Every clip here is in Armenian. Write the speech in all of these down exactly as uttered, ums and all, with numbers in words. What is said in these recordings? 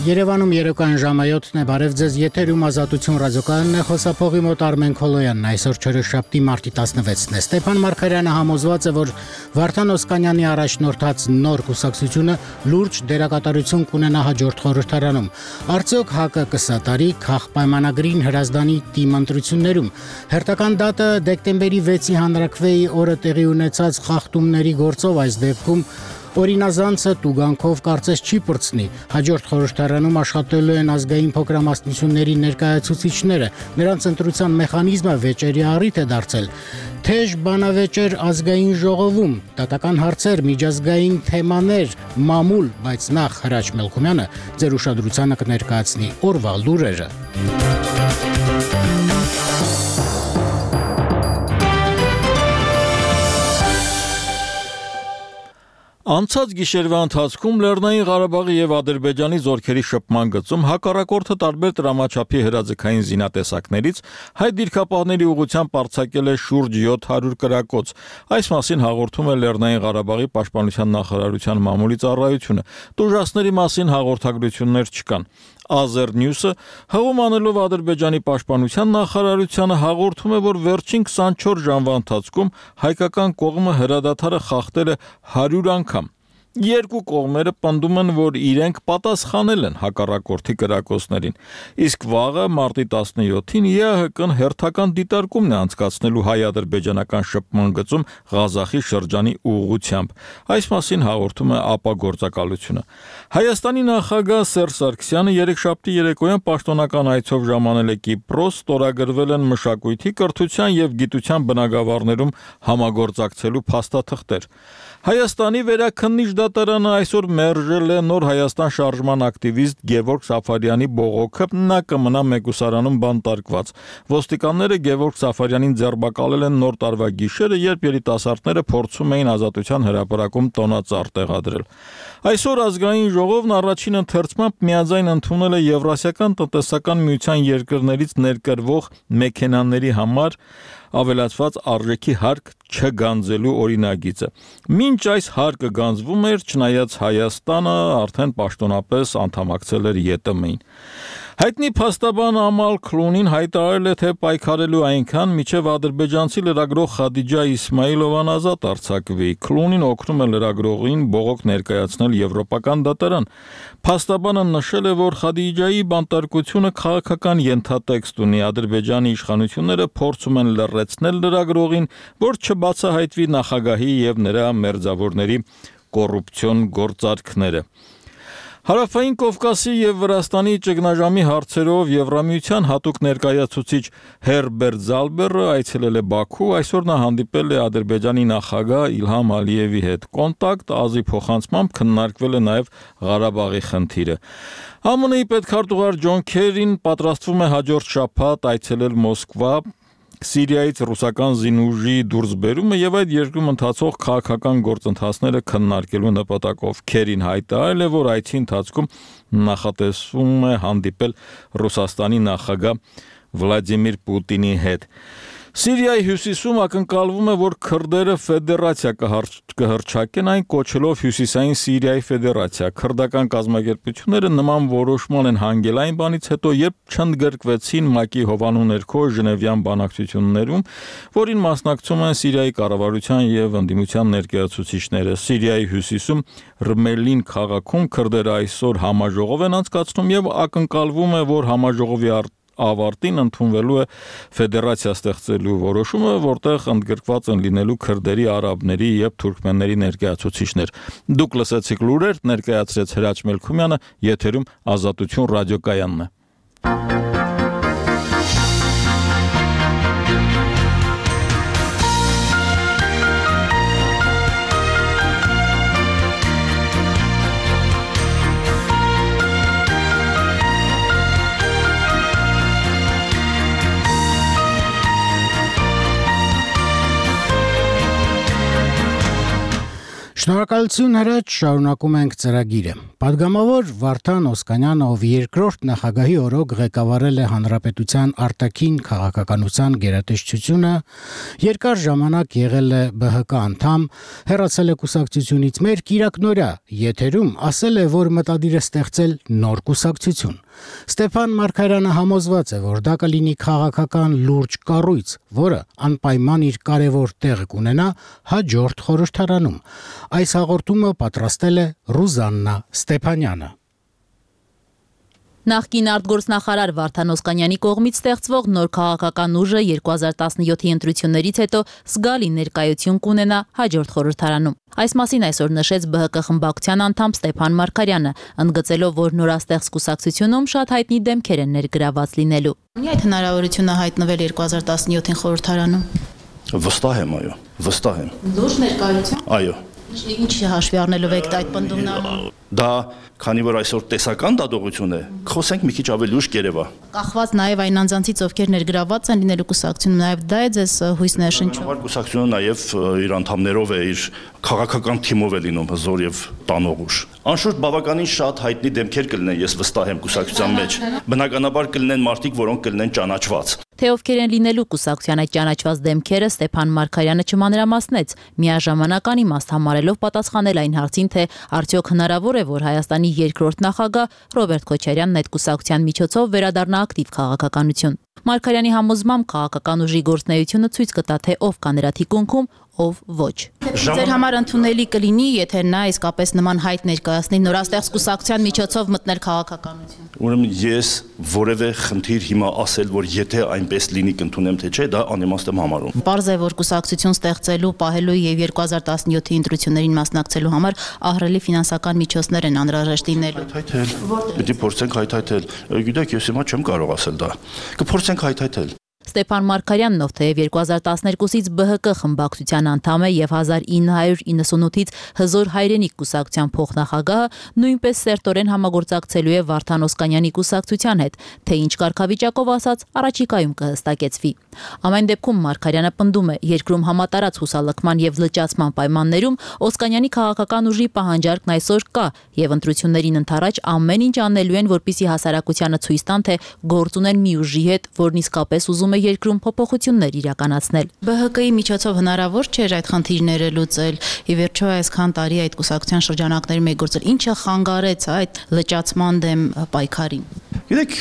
Երևանում երեկոյան ժամը յոթն է, բարև ձեզ, եթերում Ազատություն ռադիոկայանն է, խոսափողի մոտ Արմեն Քոլոյանն, այսօր չորեքշաբթի մարտի տասնվեցն է։ Ստեփան Մարգարյանը համոզված է, որ Վարդան Օսկանյանի առաջնորդած նոր կուսակցությունը լուրջ դերակատարություն կունենա հաջորդ խորհրդարանում։ Արդյոք ՀԱԿ-ը կսատարի քաղաքապայմանագրին հրազդանի թիմ ընտրություններում։ Հերթական դատը դեկտեմբերի վեցի հանրաքվեի օրը տեղի ունեցած խախտումների գործով այս դեպքում Օրինազանցը տուգանքով կարծես չի պրծնի։ Հաջորդ խորհրդարանում աշխատելու են ազգային փոքրամասնությունների ներկայացուցիչները։ Նրանց ընտրության մեխանիզմը վեճերի առիթ է դարձել։ Թեժ բանավեճեր ազգային ժողովում, դատական հարցեր, միջազգային թեմաներ, մամուլ, բայց նախ Հրաչ Մելքումյանը ձեր ուշադրությանը կներկայացնի օրվա լուրերը։ Անցած գիշերվա ընթացքում Լեռնային Ղարաբաղի եւ Ադրբեջանի զորքերի շփման գծում հակառակորդը տարբեր տրամաչափի հրաձգային զինատեսակներից հայ դիրքապահների ուղղությամբ արձակել է շուրջ յոթ հարյուր կրակոց։ Այս մասին հաղորդում է Լեռնային Ղարաբաղի պաշտպանության նախարարության մամուլի ծառայությունը։ Տուժածների մասին հաղորդագրություններ չկան։ Azernews-ը հղում անելով Ադրբեջանի պաշտպանության նախարարությանը հաղորդում է, որ վերջին քսանչորս ժամվա ընթացքում հայկական կողմը հրադադարը խախտել է հարյուր անգամ։ Երկու կողմերը պնդում են, որ իրենք պատասխանել են հակառակորդի կրակոցներին։ Իսկ վաղը մարտի տասնյոթին ԵԱՀԿ-ն հերթական դիտարկումն է անցկացնելու հայ-ադրբեջանական շփման գծում Ղազախի շրջանի ուղղությամբ։ Այս մասին հաղորդում է ԱՊԱ գործակալությունը։ Հայաստանի նախագահ Սերժ Սարգսյանը երեքշաբթի երեկոյան պաշտոնական այցով ժամանել է Կիպրոս, ստորագրվել են մշակույթի, կրթության եւ գիտության բնագավառներում համագործակցելու փաստաթղթեր։ Հայաստանի վերաքննիչ դատարանը այսօր մերժել է Նոր Հայաստան շարժման ակտիվիստ Գևորգ Սաֆարյանի բողոքը, նա կմնա մեկուսարանում բանտարկված։ Ոստիկանները Գևորգ Սաֆարյանին ձերբակալել են նոր տարվա գիշերը, երբ երիտասարդները փորձում էին Ազատության հրապարակում տոնածառ տեղադրել։ Այսօր ազգային ժողովն առաջին ընթերցմամբ միաձայն ընդունել է Եվրասիական տնտեսական միության երկրներից ներկրվող մեքենաների համար ավելացված արժեքի հարկ չգանձելու օրինագիծը։ Մինչ այս հարկը գանձվում էր, չնայած Հայաստանը արդեն պաշտոնապես անդամակցել էր ԵՏՄ-ին։ Հայտնի փաստաբան Ամալ Քլունին հայտարարել է, թե պայքարելու այնքան, մինչև ադրբեջանցի լրագրող Խադիջա Իսմայիլովան ազատ արձակվի։ Քլունին օգնում է լրագրողին բողոք ներկայացնել եվրոպական դատարան։ Փաստաբանը նշել է, որ Խադիջայի բանտարկությունը քաղաքական ենթատեքստ ունի։ Ադրբեջանի իշխանությունները փորձում են լռեցնել լրագրողին, որ չբացահայտվի նախագահի եւ նրա մերձավորների կոռուպցիոն գործարքները։ Հարավային Կովկասի եւ Վրաստանի ճգնաժամի հարցերով Եվրամիության հատուկ ներկայացուցիչ Հերբերտ Զալբերը այցելել է Բաքու, այսօր նա հանդիպել է Ադրբեջանի նախագահ Իլհամ Ալիևի հետ։ Կոնտակտ ազի փոխանցմամբ քննարկվել է նաեւ Ղարաբաղի խնդիրը։ ԱՄՆ-ի պետքարտուղար Ջոն Քերին պատրաստվում է հաջորդ շաբաթ այցելել Մոսկվա, Սիրիայից ռուսական զինուժի դուրսբերումը եւ այդ երկրում ընթացող քաղաքական գործընթացները քննարկելու նպատակով Քերին հայտարարել է, որ այցի ընթացքում նախատեսվում է հանդիպել Ռուսաստանի նախագահ Վլադիմիր Պուտինի հետ։ Սիրիայի հյուսիսում ակնկալվում է, որ քրդերը ֆեդերացիա կհռչակեն, այն կոչելով Հյուսիսային Սիրիայի ֆեդերացիա։ Քրդական կազմակերպությունները նման որոշման են հանգել այն բանից հետո, երբ չընդգրկվեցին ՄԱԿ-ի հովանու ներքո Ժնևյան բանակցություններում, որին մասնակցում են Սիրիայի կառավարության եւ ընդդիմության ներկայացուցիչները։ Սիրիայի հյուսիսում Ռմելին քաղաքում քրդերը այսօր համաժողով են անցկացնում եւ ակնկալվում է, որ համաժողովի ավարտին ընդունվելու է ֆեդերացիա ստեղծելու որոշումը, որտեղ ընդգրկված են լինելու քրդերի, արաբների եւ թուրքմենների ներկայացուցիչներ։ Դուք լսեցիք լուրեր, ներկայացրեց Հրաչ Մելքումյանը, եթերում Ազատություն ռադիոկայանն է։ Շնորհակալություն հրաչ, շարունակում ենք ծրագիրը։ Պատգամավոր Վարդան Օսկանյանը, ով երկրորդ նախագահի օրոք ղեկավարել է Հանրապետության արտաքին քաղաքականության գերատեսչությունը, երկար ժամանակ եղել է B H K անդամ, հեռացել է կուսակցությունից, մեր Կիրակնորյա եթերում ասել է, որ մտադիր է ստեղծել նոր կուսակցություն։ Ստեփան Մարգարյանը համոզված է, որ դա կլինի քաղաքական լուրջ կառույց, որը անպայման իր կարևոր տեղը կունենա հաջորդ խորհրդարանում։ Այս հաղորդումը պատրաստել է Ռուզաննա Ստեփանյանը։ Նախկին արտգործնախարար Վարդան Օսկանյանի կողմից ստեղծվող նոր քաղաքական ուժը երկու հազար տասնյոթի ընտրություններից հետո զգալի ներկայություն կունենա հաջորդ խորհրդարանում։ Այս մասին այսօր նշեց B H K խմբակցության անդամ Ստեփան Մարգարյանը, ընդգծելով, որ նորաստեղծ կուսակցությունում շատ հայտնի դեմքեր են ներգրաված լինելու։ Ունի այդ հնարավորությունը հայտնվել երկու հազար տասնյոթին խորհրդարանում։ Վստահ եմ, այո, վստահ եմ։ Լուրջ ներկայություն։ Այո։ Ինչ հաշվի առնելով եք այդ պնդումն անում։ Դա, քանի որ այսօր տեսական դատողություն է, խոսենք մի քիչ ավելի ուշ կերևա։ Կախված նաև այն անձանցից, ովքեր ներգրաված են լինելու կուսակցությունում, նաև դա է ձեզ հույս ներշնչում։ Հավանաբար կուսակցությունը նաև իր անդամներով է, իր քաղաքական թիմով է լինում հզոր եւ տանող ուժ։ Անշուշտ բավականին շատ հայտնի դեմքեր կլինեն, ես վստահ եմ կուսակցության մեջ։ Բնականաբար կլինեն մարդիկ, որոնք կլինեն ճանաչված։ Թե ովքեր են լինելու կուսակցության այդ ճանաչված դեմքերը, Ստեփան Մարգարյանը չմանրամասնեց, միաժամանակ անիմաստ համարելով պատասխանել այն հարցին, թե արդյոք հնարավոր է, որ Հայաստանի երկրորդ նախագահ Ռոբերտ Քոչարյանն այդ կուսակցության միջոցով վերադառնա ակտիվ քաղաքականություն։ Մարգարյանի համոզմամբ քաղաքական ուժի գործունեությունը ցույց կտա, թե ով կա նրա թիկունքում, ով ոչ։ Ձեր համար ընդունելի կլինի, եթե նա իսկապես նման հայտ ներկայացնի նորաստեղծ կուսակցության միջոցով մտնել քաղաքականություն։ Ուրեմն ես որևէ խնդիր հիմա ասել, որ եթե այնպես լինի կընդունեմ, թե չէ, դա անիմաստ եմ համարում։ Պարզ է, որ կուսակցություն ստեղծելու, պահելու եւ երկու հազար տասնյոթի ընտրություններին մասնակցելու համար ահռելի ֆինանսական միջոցներ են անհրաժեշտ լինելու։ Հայթայթել։ Պետք է փորձենք հայթայթել։ Գիտեք, ես հիմա չեմ կարող ասել դա։ Կփորձենք հայթայթել։ Ստեփան Մարգարյանն, ով թեև երկու հազար տասներկուսից B H K խմբակցության անդամ է եւ հազար ինը հարյուր իննսունութից Հզոր հայրենիք կուսակցության փոխնախագահը, նույնպես սերտորեն համագործակցելու է Վարդան Օսկանյանի կուսակցության հետ, թե ինչ կարգավիճակով ասած առաջիկայում կհստակեցվի։ Ամեն դեպքում Մարգարյանը պնդում է, երկրում համատարած հուսալքման եւ լճացման պայմաններում Օսկանյանի քաղաքական ուժի պահանջարկն այսօր կա եւ ընտրություններին ընթരാճ ամեն ինչ անելու են, որպեսզի հասարակությանը ցույց տան, թե գործ ունեն մի ուժի հետ, որն իսկապես ուզում է երկրում փոփոխություններ իրականացնել։ B H K-ի միջոցով հնարավոր չէր այդ խնդիրները լուծել։ Ի վերջո այսքան տարի այդ կուսակցության շրջանակներում է գործել։ Ինչը խանգարեց այդ լճացման դեմ պայքարին։ Գիտեք,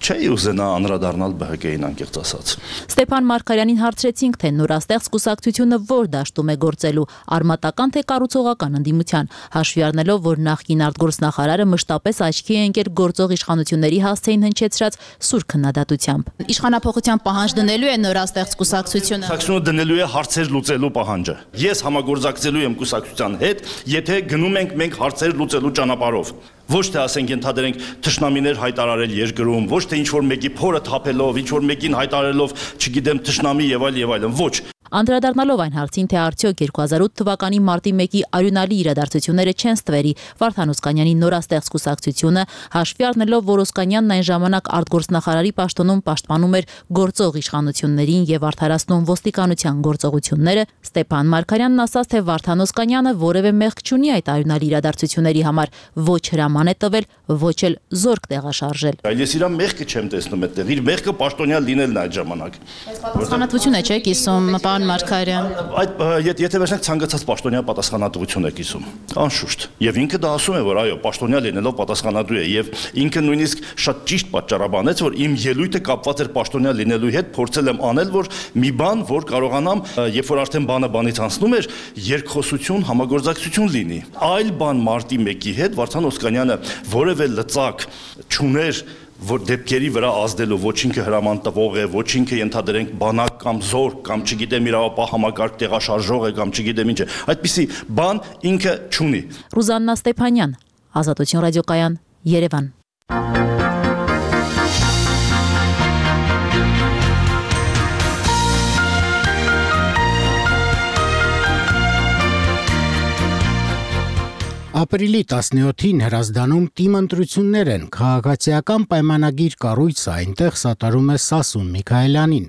չէի ուզենա անդրադառնալ B H K-ին անկեղծ ասած։ Ստեփան Մարգարյանին հարցրեցինք, թե նորաստեղծ կուսակցությունը որ դաշտում է գործելու, արմատական թե կառուցողական ընդդիմության, հաշվի առնելով, որ նախկին արտգործնախարարը մշտապես աչքի է ընկել գործող իշխանությունների հասցեին հնչեցրած սուր քննադատությամբ։ Իշխանափոխության պահանջ դնելու է նորաստեղծ կուսակցությունը։ Կուսակցությունը դնելու է հարցեր լուծելու պահանջը։ Ես համագործակցելու եմ կուսակցության հետ, եթե գնում ենք մենք հարցեր լուծելու ճանապարհով։ Ոչ թե ասենք ենթադրենք թշնամիներ հայտարարել երկրում, ոչ թե ինչ որ մեկի փորը թափելով, ինչ որ մեկին հայտարարելով, չգիտեմ, թշնամի եւ այլ եւ այլն, ոչ։ Անդրադառնալով այն հարցին, թե արդյոք երկու հազար ութ թվականի մարտի մեկի արյունալի իրադարձությունները չեն ստվերի Վարդան Օսկանյանի նորաստեղծ կուսակցությունը, հաշվի առնելով, որ Օսկանյանն այն ժամանակ արտգործնախարարի պաշտոնում պաշտպանում էր գործող իշխանություններին եւ արդարացնում ոստիկանության գործողությունները, Ստեփան Մարգարյանն ասաց, թե Վարդան Օսկանյանը որևէ մեղք չունի այդ արյունալի իրադարձությունների համար, ոչ հրաման է տվել, ոչ էլ զորք տեղաշարժել։ Այլ ես իր մեղքը չեմ տեսնում այդտեղ, իր մեղքը պաշտոնյա լինելն է այդ ժամանակ։ Պատասխանատվություն է, չէ՞, կիսում պարոն Մարգարյան։ Այդ եթե վերջնակ ցանկացած պաշտոնյա պատասխանատվություն է կիսում, անշուշտ։ Եվ ինքը դա ասում է, որ այո, պաշտոնյա լինելով պատասխանատու է, եւ ինքը նույնիսկ շատ ճիշտ պատճառաբանեց, որ իմ ելույթը կապված էր պաշտոնյա լինելու հետ, փորձել եմ անել, որ մի բան, որ կարողանամ, երբ որ արդեն բանը բանից անցնում էր, երկխոսություն, համագործակցություն լինի։ Այլ բան մարտի մեկի հետ Վարդան Օսկանյանը որևէ լծակ չուներ, որ դեպքերի վրա ազդելու, ոչ ինքը հրաման տվող է, ոչ ինքը ենթադրենք բանակ կամ զորք կամ չգիտեմ իրավապահ համակարգ տեղաշարժող է կամ չգիտեմ ինչ է, այդպիսի բան ինքը չունի։ Ռուզաննա Ստեփանյան, Ազատություն ռադիոկայան, Երևան։ Ապրիլի տասնյոթին Հրազդանում թիմ ընտրություններ են, քաղաքացիական պայմանագիր կառույցը այնտեղ սատարում է Սասուն Միքայելյանին։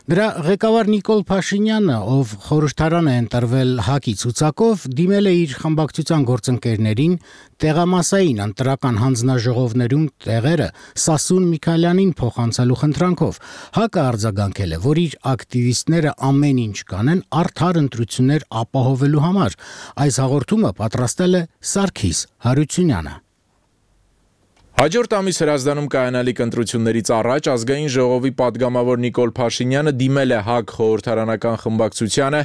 Դրա ղեկավար Նիկոլ Փաշինյանը, ով խորհրդարան է ընտրվել ՀԱԿ-ի ցուցակով, դիմել է իր խմբակցության գործընկերներին տեղամասային ընտրական հանձնաժողովներում տեղերը Սասուն Միքայելյանին փոխանցելու խնդրանքով։ ՀԱԿ-ը արձագանքել է, որ իր ակտիվիստները ամեն ինչ կանեն արդար ընտրություններ ապահովելու համար։ Այս հաղորդումը պատրաստել է Սարգիս Հարությունյանը։ Հաջորդ ամիս Հրազդանում կայանալիք ընտրություններից առաջ ազգային ժողովի պատգամավոր Նիկոլ Փաշինյանը դիմել է ՀԱԿ խորհրդարանական խմբակցությանը,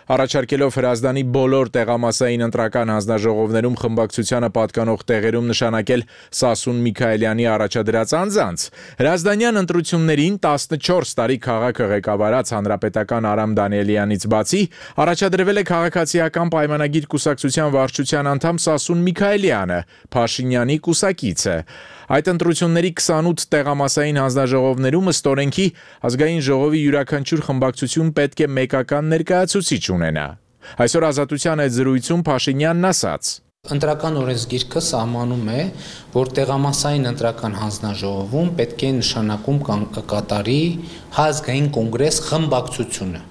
առաջարկելով Հրազդանի բոլոր տեղամասային ընտրական հանձնաժողովներում խմբակցությանը պատկանող տեղերում նշանակել Սասուն Միքայելյանի առաջադրած անձանց։ Հրազդանյան ընտրություններին տասնչորս տարի քաղաքը ղեկավարած հանրապետական Արամ Դանիելյանից բացի առաջադրվել է քաղաքացիական պայմանագիր կուսակցության վարչության անդամ Սասուն Միքայելյանը, Փաշինյանի կուսակիցը։ Այդ ընտրությունների քսանութ տեղամասային հանձնաժողովներում ըստ օրենքի ազգային ժողովի յուրաքանչյուր խմբակցություն պետք է մեկական ներկայացուցիչ ունենա։ Այսօր Ազատության այդ զրույցում Փաշինյանն ասաց. Ընտրական օրենսգիրքը սահմանում է, որ տեղամասային ընտրական հանձնաժողովում պետք է նշանակում կատարի Հայազգային կոնգրես խմբակցությունը։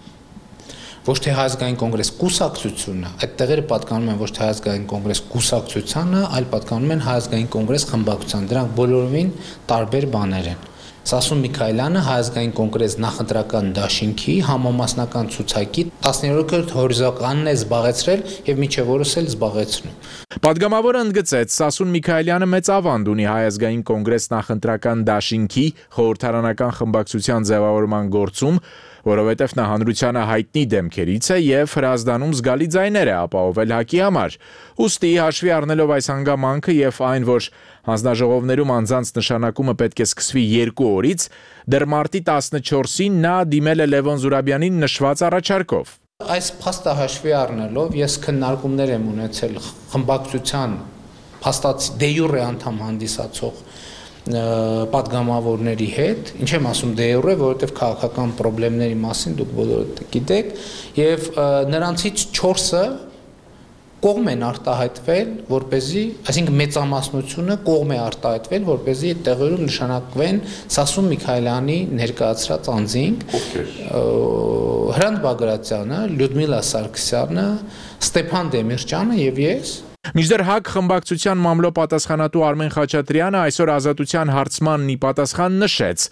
Ոչ թե Հայազգային կոնգրես կուսակցությունը, այդ տեղերը պատկանում են ոչ թե Հայազգային կոնգրես կուսակցությանը, այլ պատկանում են Հայազգային կոնգրես խմբակցությանը։ Դրանք բոլորովին տարբեր բաներ են։ Սասուն Միքայելյանը Հայազգային կոնգրես նախընտրական դաշինքի համամասնական ցուցակի տասներորդ հորիզոնականն է զբաղեցրել եւ մինչեւ օրս էլ զբաղեցնում։ Պատգամավորը ընդգծեց, Սասուն Միքայելյանը մեծ ավանդ ունի Հայազգային կոնգրես նախընտրական դաշինքի խորհրդարանական խմբակցության ձևավորման գործում, որովհետև նա հանրությանը հայտնի դեմքերից է եւ Հրազդանում զգալի ձայներ է ապահովել ՀԱԿ-ի համար։ Ուստի հաշվի առնելով այս հանգամանքը եւ այն, որ հանձնաժողովներում անձանց նշանակումը պետք է սկսվի երկու օրից, դեռ մարտի տասնչորսին նա դիմել է Լևոն Զուրաբյանին նշված առաջարկով։ Այս փաստը հաշվի առնելով ես քննարկումներ եմ ունեցել խմբակցության փաստացի դե յուրե անդամ հանդիսացող պատգամավորների հետ, ինչ եմ ասում դե յուրե, որովհետև քաղաքական խնդիրների մասին դուք բոլորը գիտեք, եւ նրանցից չորսը կողմ են արտահայտվել, որպեսզի, այսինքն մեծամասնությունը կողմ է արտահայտվել, որպեսզի այդ տեղերում նշանակվեն Սասուն Միքայելյանի ներկայացրած անձինք, Հրանտ Բագրատյանը, Լյուդմիլա Սարգսյանը, Ստեփան Դեմիրճյանը եւ ես։ Մինչդեռ ՀԱԿ խմբակցության մամլո պատասխանատու Արմեն Խաչատրյանը այսօր Ազատության հարցմանն ի պատասխան նշեց.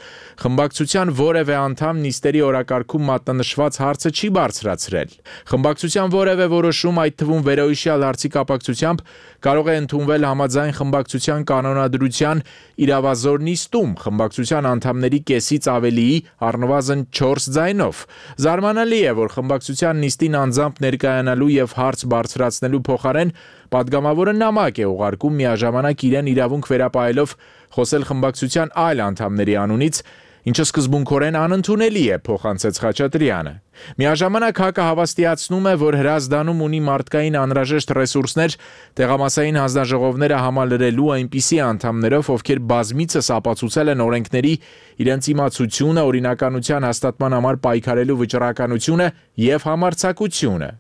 խմբակցության որևէ անդամ նիստերի օրակարգում մատնանշված հարցը չի բարձրացրել։ Խմբակցության որևէ որոշում, այդ թվում վերոհիշյալ հարցի կապակցությամբ, կարող է ընդունվել համաձայն խմբակցության կանոնադրության իրավազոր նիստում, խմբակցության անդամների կեսից ավելիի առնվազն չորս ձայնով։ Զարմանալի է, որ խմբակցության նիստին անձամբ ներկայանալու եւ հարց բարձրացնելու փոխարեն պատգամավորը նամակ է ուղարկում միաժամանակ իրեն իրավունք վերապահելով խոսել խմբակցության այլ անդամների անունից, ինչը սկզբունքորեն անընդունելի է, փոխանցեց Խաչատրյանը։ Միաժամանակ ՀԱԿ-ը հավաստիացնում է, որ Հրազդանում ունի մարդկային անհրաժեշտ ռեսուրսներ տեղամասային հանձնաժողովները համալրելու այնպիսի անդամներով, ովքեր բազմիցս ապացուցել են օրենքների իրենց իմացությունը, օրինականության հաստատման համար պայքարելու վճռականությունը եւ համարձակությունը։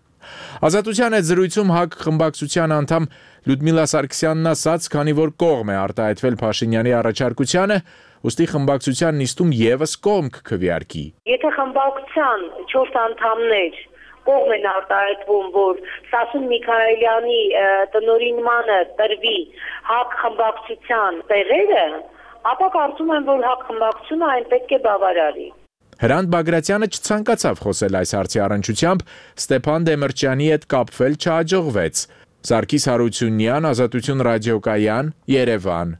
Ազատության այդ զրույցում ՀԱԿ խմբակցության անդամ Լյուդմիլա Սարգսյանն ասաց, քանի որ կողմ է արտահայտվել Փաշինյանի առաջարկությանը, ուստի խմբակցության նիստում եւս կողմ կքվեարկի։ Եթե խմբակցության չորս անդամներ կողմ են արտահայտվում, որ Սասուն Միքայելյանի տնօրինմանը տրվի ՀԱԿ խմբակցության տեղերը, ապա կարծում եմ, որ ՀԱԿ խմբակցությունը այն պետք է բավարարի։ Հրանտ Բագրատյանը չցանկացավ խոսել այս հարցի առնչությամբ, Ստեփան Դեմիրճյանի հետ կապվել չհաջողվեց։ Սարգիս Հարությունյան, Ազատություն ռադիոկայան, Երևան։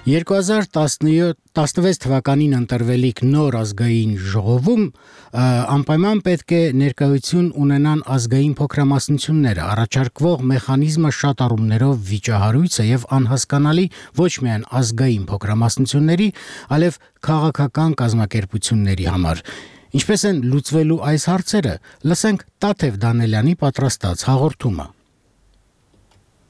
երկու հազար տասնվեց թվականին ընտրվելիք նոր ազգային ժողովում անպայման պետք է ներկայություն ունենան ազգային փոքրամասնությունները, առաջարկվող մեխանիզմը շատ առումներով վիճահարույց է եւ անհասկանալի ոչ միայն ազգային փոքրամասնությունների, այլև քաղաքական կազմակերպությունների համար։ Ինչպես են լուծվելու այս հարցերը, լսենք Տաթև Դանելյանի պատրաստած հաղորդումը։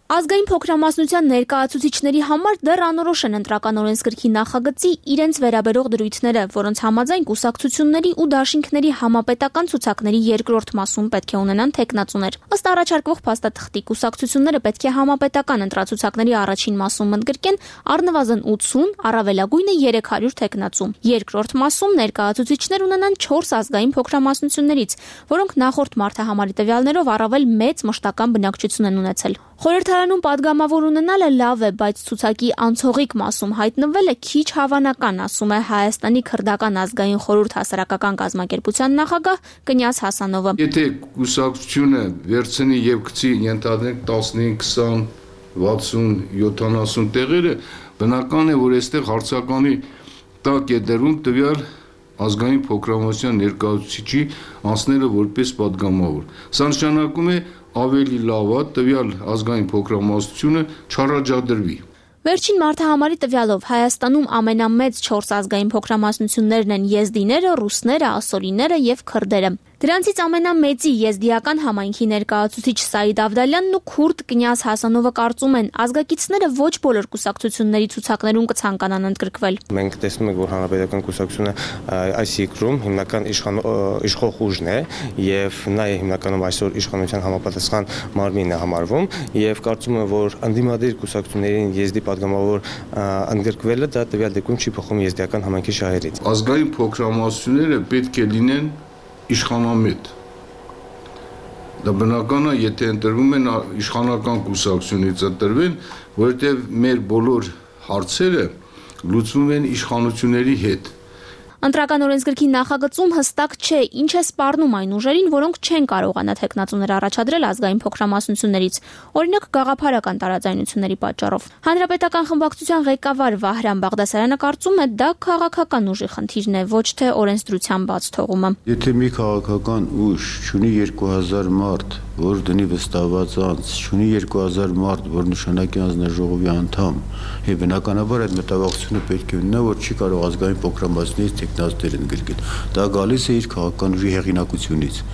Ազգային փոքրամասնության ներկայացուցիչների համար դեռ անորոշ են ընտրական օրենսգրքի նախագծի իրենց վերաբերող դրույթները, որոնց համաձայն կուսակցությունների ու դաշինքների համապետական ցուցակների երկրորդ մասում պետք է ունենան թեկնածուներ։ Ըստ առաջարկվող փաստաթղթի կուսակցությունները պետք է համապետական ընտրացուցակների առաջին մասում ընդգրկեն առնվազն ութսուն, առավելագույնը երեք հարյուր թեկնածու։ Երկրորդ մասում ներկայացուցիչներ ունենան չորս ազգային փոքրամասնություններից, որոնք նախորդ մարդահամարի տվյալներով առավել մեծ մշտական բնակչություն են ունեցել։ Խորհրդարանում падգամավոր ունենալը լավ է, բայց ցուցակի անցողիկ մասում հայտնվելը քիչ հավանական, ասում է Հայաստանի քրդական ազգային խորհուրդ հասարակական կազմակերպության նախագահ Կնյազ Հասանովը։ Եթե կուսակցությունը վերցնի եւ գցի ենթադրենք տասնհինգ, քսան, վաթսուն, յոթանասուն տեղերը, բնական է, որ այստեղ հարցականի տակ է դրվում տվյալ ազգային փոքրամասնության ներկայացուցիչի անձնելը որպես падգամավոր։ Սա նշանակում է ավելի լավ է տվյալ ազգային փոքրամասնությունը չառաջադրվի։ Վերջին մարդահամարի տվյալով Հայաստանում ամենամեծ չորս ազգային փոքրամասնություններն են եզդիները, ռուսները, ասորիները եւ քրդերը։ Դրանցից ամենամեծի եզդիական համայնքի ներկայացուցիչ Սաիդ Ավդալյանն ու քուրդ Կնյազ Հասանովը կարծում են, ազգակիցները ոչ բոլոր կուսակցությունների ցուցակներում կցանկանան ընդգրկվել։ Մենք տեսնում ենք, որ հանրապետական կուսակցությունը այս երկրում հիմնական իշխող ուժն է եւ նա է հիմնականում այսօր իշխանության համապատասխան մարմինն է համարվում եւ կարծում եմ, որ անդիմադիր կուսակցություններին եզդի падգամավոր ընդգրկվելը դա տվյալ դեպքում չի փոխում եզդիական համայնքի շահերից։ Ազգային փոքրամասնությունները պետք է լինեն իշխանամետ։ Դա բնական է, եթե ընտրվում են իշխանական կուսակցությունից ընտրվեն, որովհետև մեր բոլոր հարցերը լուծվում են իշխանությունների հետ։ Ընտրական օրենսգրքի նախագծում հստակ չէ, ինչ է սպառնում այն ուժերին, որոնք չեն կարողանա թեկնածուներ առաջադրել ազգային փոքրամասնություններից, օրինակ գաղափարական տարաձայնությունների պատճառով։ Հանրապետական խմբակցության ղեկավար Վահրամ Բաղդասարյանը կարծում է, դա քաղաքական ուժի խնդիրն է, ոչ թե օրենսդրության բաց թողումը։ Եթե մի քաղաքական ուժ ունի երկու հազար մարդ, որ դնի վստահված անձ, ունի երկու հազար մարդ, որ նշանակի անձնաժողովի անդամ, եւ բնականաբար այդ մտավախությունը պետք է ունենա, որ չի կարող ազգային փոքրամասնությունից տեխնազդել ընդգրկել։ Դա գալիս է իր քաղաքական ուժի հեղինակությունից։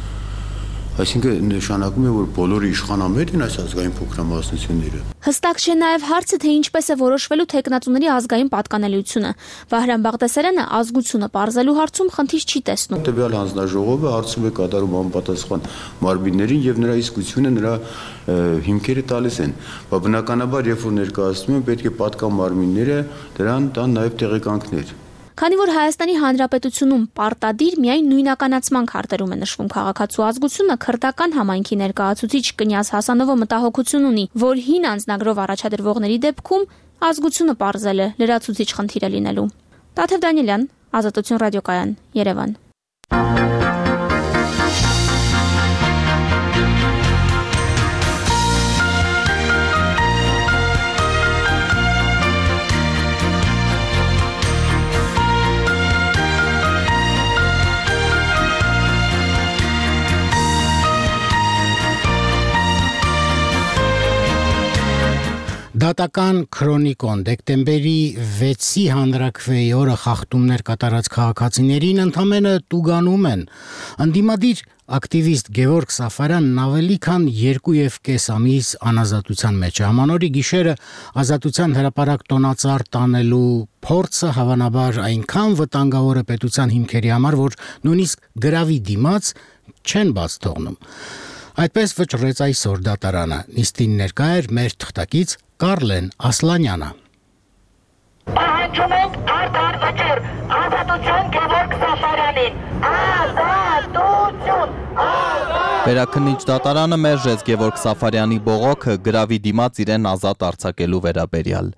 Այսինքն նշանակում է, որ բոլորը իշխանամետ են այս ազգային փոքրամասնությունները։ Հստակ չէ նաև հարցը, թե ինչպես է որոշվելու թեկնածուների ազգային պատկանելիությունը։ Վահրամ Բաղդասարյանը ազգությունը պարզելու հարցում խնդիր չի տեսնում։ Տվյալ հանձնաժողովը հարցում է կատարում անպատասխան մարմիններին եւ նրա իսկությունը նրա հիմքերը տալիս են։ Բայց բնականաբար, երբ որ ներկայացնում են, պետք է պատկան մարմինները դրան տան նաև տեղեկանքներ։ Քանի որ Հայաստանի Հանրապետությունում պարտադիր միայն նույնականացման քարտերում է նշվում քաղաքացու ազգությունը, քրդական համայնքի ներկայացուցիչ Կնյազ Հասանովը մտահոգություն ունի, որ հին անձնագրով առաջադրվողների դեպքում ազգությունը պարզել է լրացուցիչ խնդիր է լինելու։ Տաթև Դանիելյան, Ազատություն ռադիոկայան, Երևան։ Դատական քրոնիկոն դեկտեմբերի վեցի հանրաքվեի օրը խախտումներ կատարած քաղաքացիներին ընդամենը տուգանում են։ Ընդդիմադիր ակտիվիստ Գևորգ Սաֆարյանն ավելի քան երկու եւ կես ամիս անազատության մեջ է։ Ամանորի գիշերը ազատության հրապարակ տոնածառ տանելու փորձը հավանաբար այնքան վտանգավոր է պետության հիմքերի համար, որ նույնիսկ գրավի դիմաց չեն բաց թողնում։ Այդպես վճռեց այսօր դատարանը։ Նիստին ներկա էր մեր թղթակից Կարլեն Ասլանյանը։ Պահանջում ենք արդար վճիռ, ազատություն Գևորգ Սաֆարյանին, ազատություն, ազատություն։ Վերաքննիչ դատարանը մերժեց Գևորգ Սաֆարյանի բողոքը գրավի դիմաց իրեն ազատ արձակելու վերաբերյալ։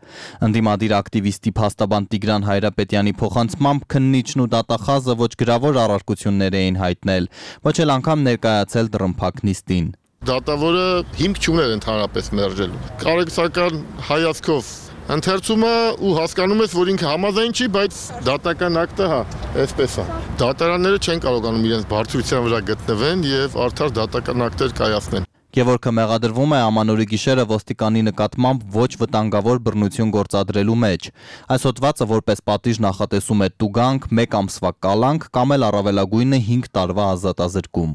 Ընդդիմադիր ակտիվիստի փաստաբան Տիգրան Հայրապետյանի փոխանցմամբ քննիչն ու դատախազը ոչ գրավոր առարկություններ էին հայտնել, ոչ էլ անգամ ներկայացել դռնփակ նիստին։ Դատավորը հիմք չուներ ընդհանրապես մերժելու։ Կարեկցական հայացքով ընթերցումը ու հասկանում ես, որ ինքը համաձայն չի, բայց դատական ակտը հա, այսպես է։ Դատարանները չեն կարողանում իրենց բարձրության վրա գտնվեն եւ արդար դատական ակտեր կայացնեն։ Գևորգը մեղադրվում է Ամանորի գիշերը ոստիկանի նկատմամբ ոչ վտանգավոր բռնություն գործադրելու մեջ։ Այս հոդվածը որպես պատիժ նախատեսում է տուգանք, մեկ ամսվա կալանք կամ էլ առավելագույնը հինգ տարվա ազատազրկում։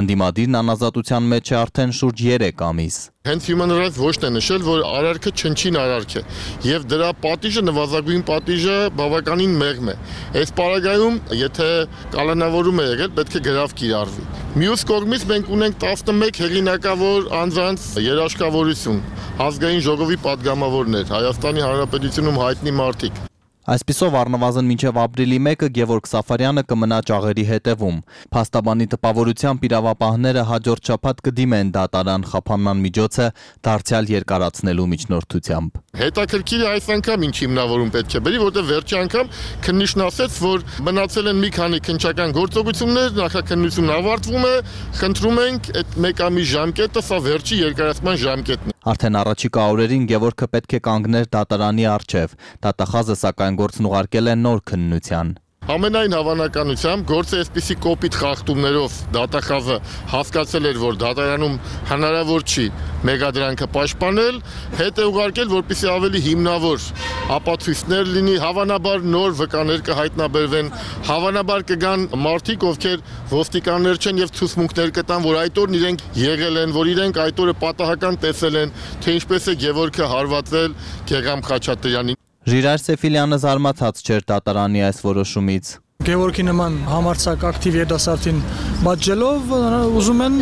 Ընդդիմադիրն անազատության մեջ է արդեն շուրջ երեք ամիս։ Հենց Human Rights Watch-ն է նշել, որ արարքը չնչին արարք է եւ դրա պատիժը նվազագույն պատիժը բավականին մեղմ է։ Այս պարագայում, եթե կալանավորում է եղել, պետք է գրավ կիրառվի։ Մյուս կողմից մենք ունենք տասնմեկ հեղինակավոր անձանց երաշխավորություն, ազգային ժողովի падգամավորներ, Հայաստանի Հանրապետությունում հայտնի մարդիկ։ Այսպիսով առնվազն մինչև ապրիլի մեկը Գևորգ Սաֆարյանը կմնա ճաղերի հետևում։ Փաստաբանի տպավորությամբ իրավապահները հաջորդ շաբաթ կդիմեն դատարան խափանման միջոցը դարձյալ երկարացնելու միջնորդությամբ։ Հետաքրքիր է այս անգամ ինչ հիմնավորում պետք է բերի, որտեղ վերջի անգամ քննիչն ասաց, որ մնացել են մի քանի քննչական գործողություններ, նախաքննությունն ավարտվում է, խնդրում ենք այդ մեկ ամիս ժամկետը, սա վերջի երկարացման ժամկետն է։ Արդեն առաջիկա օրերին Գևորգը պետք է կանգներ դատարանի առջև։ Դատախազը սակայն գործն ուղարկել է նոր քննության։ Ամենայն հավանականությամբ գործը այսպիսի կոպիտ խախտումներով դատախազը հասկացել էր, որ դատարանում հնարավոր չի մեղադրանքը պաշտպանել, հետ է ուղարկել, որպեսզի ավելի հիմնավոր ապացույցներ լինի, հավանաբար նոր վկաներ կհայտնաբերվեն, հավանաբար կգան մարդիկ, ովքեր ոստիկաններ չեն եւ ցուցմունքներ կտան, որ այդ օրն իրենք եղել են, որ իրենք այդ օրը պատահական տեսել են, թե ինչպես է Գևորգը հարվածել Գեգամ Խաչատրյանին։ Ժիրայր Սեֆիլյանը զարմացած չէր դատարանի այս որոշումից։ Գևորգի նման համարձակ ակտիվ երիտասարդին բաժելով ուզում են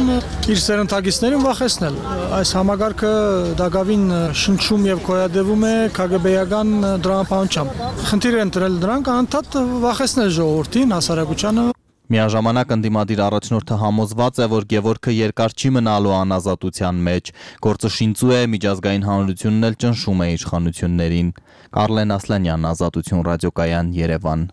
իր սերնդագիցներին վախեցնել։ Այս համագարկը դակավին շնչում եւ գոյատևում է քագեբեական դրամապանությամբ։ Խնդիր են դրել դրանք անդադ վախեցնել ժողովրդին, հասարակությանը։ Միաժամանակ ընդդիմադիր առաջնորդը համոզված է, որ Գևորգը երկար չի մնալու անազատության մեջ։ Գործը շինծու է, միջազգային հանրությունն էլ ճնշում է իշխանություններին։ Կարլեն Ասլանյան, Ազատություն ռադիոկայան, Երևան։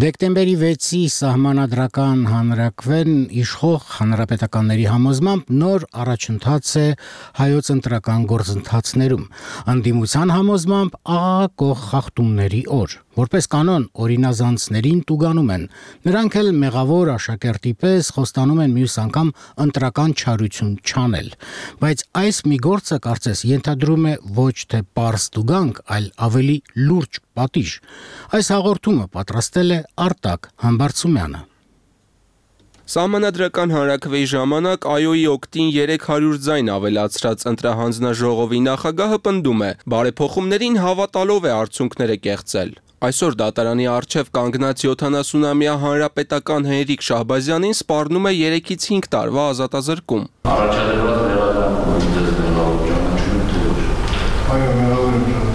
Դեկտեմբերի վեցի սահմանադրական հանրակրվեն իշխող հանրապետականների համոզմամբ նոր առաջընթաց է հայոց ընտրական գործընթացներում։ Ընդդիմության համոզմամբ աղաղակող խախտումների օր։ Որպես կանոն օրինազանցներին տուգանում են։ Նրանք էլ մեղավոր աշակերտի պես խոստանում են մյուս անգամ ընտրական չարություն չանել։ Բայց այս մի գործը կարծես ենթադրում է ոչ թե պարզ տուգանք, այլ ավելի լուրջ պատիժ։ Այս հաղորդումը պատրաստել է Արտակ Համբարձումյանը։ Սահմանադրական հանրաքվեի ժամանակ ԱՅՈ-ի օգտին երեք հարյուր ձայն ավելացրած ընտրահանձնաժողովի նախագահը պնդում է, բարեփոխումներին հավատալով է արդյունքները կեղծել։ Այսօր դատարանի առջև կանգնած յոթանասունամյա հանրապետական Հենրիկ Շահբազյանին սպառնում է երեքից հինգ տարվա ազատազրկում։ Առաջադրված մեղադրանքով դες մեղավոր ճանաչում թե ոչ։ Այո, մեղավոր եմ ճանաչում։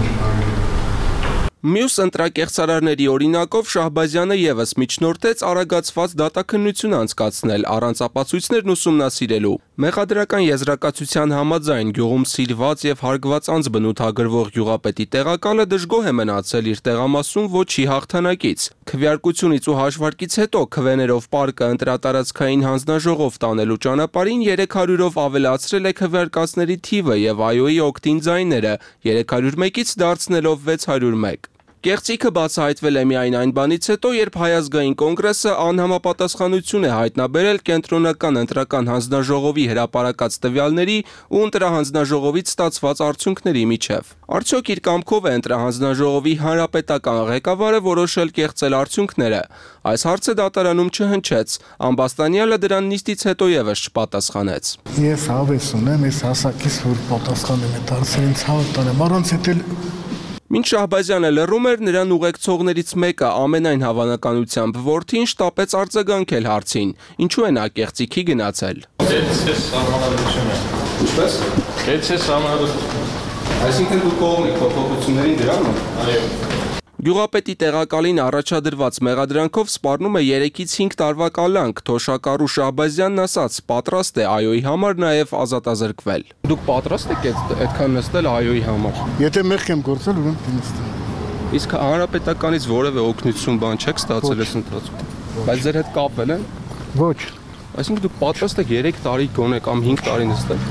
Մյուս ընտրակեղծարարների օրինակով Շահբազյանը եւս միջնորդեց արագացված դատաքննություն անցկացնել առանց ապացույցներն ուսումնասիրելու։ Մեղադրական եզրակացության համաձայն գյուղում սիրված եւ հարգված անձ բնութագրվող գյուղապետի տեղակալը դժգոհ է մնացել իր տեղամասում ոչի հաղթանակից։ Քվեարկությունից ու հաշվարկից հետո քվեներով պարկը ընտրատարածքային հանձնաժողով տանելու ճանապարհին երեք հարյուրով ավելացրել է քվեարկածների թիվը եւ ԱՅՈ-ի օգտին ձայները երեք հարյուր մեկից դարձնելով վեց հարյուր մեկ։ Կեղծիքը բացահայտվել է միայն այն բանից հետո, երբ Հայ ազգային կոնգրեսը անհամապատասխանություն է հայտնաբերել կենտրոնական ընտրական հանձնաժողովի հրապարակած տվյալների ու ընտրահանձնաժողովից ստացված արդյունքների միջև։ Արդյոք իր կամքով է ընտրահանձնաժողովի հանրապետական ղեկավարը որոշել կեղծել արդյունքները։ Այս հարցը դատարանում չհնչեց։ Ամբաստանյանը դրան նիստից հետո եւս չպատասխանեց։ Ես հավես ունեմ, ես հասակից որ պատասխանեմ այդ հարցերին ցավը տանեմ, առանց էդ Մինչ Շահբազյանը լռում էր, նրան ուղեկցողներից մեկը ամենայն հավանականությամբ որդին շտապեց արձագանքել հարցին։ Ինչու է նա կեղծիքի գնացել։ Դեց է սահմանադրությունը։ Ինչպես։ Դեց է սահմանադրությունը։ Այսինքն դու կողմ եք փոփոխություններին դրանում։ Այո։ Գյուղապետի տեղակալին առաջադրված մեղադրանքով սպառնում է երեքից հինգ տարվա կալանք, թոշակառու Շահբազյանն ասաց, պատրաստ է ԱՅՈ-ի համար նաև ազատազրկվել։ Դուք պատրաստ եք այդքան նստել ԱՅՈ-ի համար։ Եթե մեղք եմ գործել, ուրեմն նստեմ։ Իսկ հանրապետականից որևէ օգնություն բան չեք ստացել այս ընթացքում։ Բայց ձեր հետ կապել են։ Ոչ։ Այսինքն դուք պատրաստ եք երեք տարի գոնե կամ հինգ տարի նստել։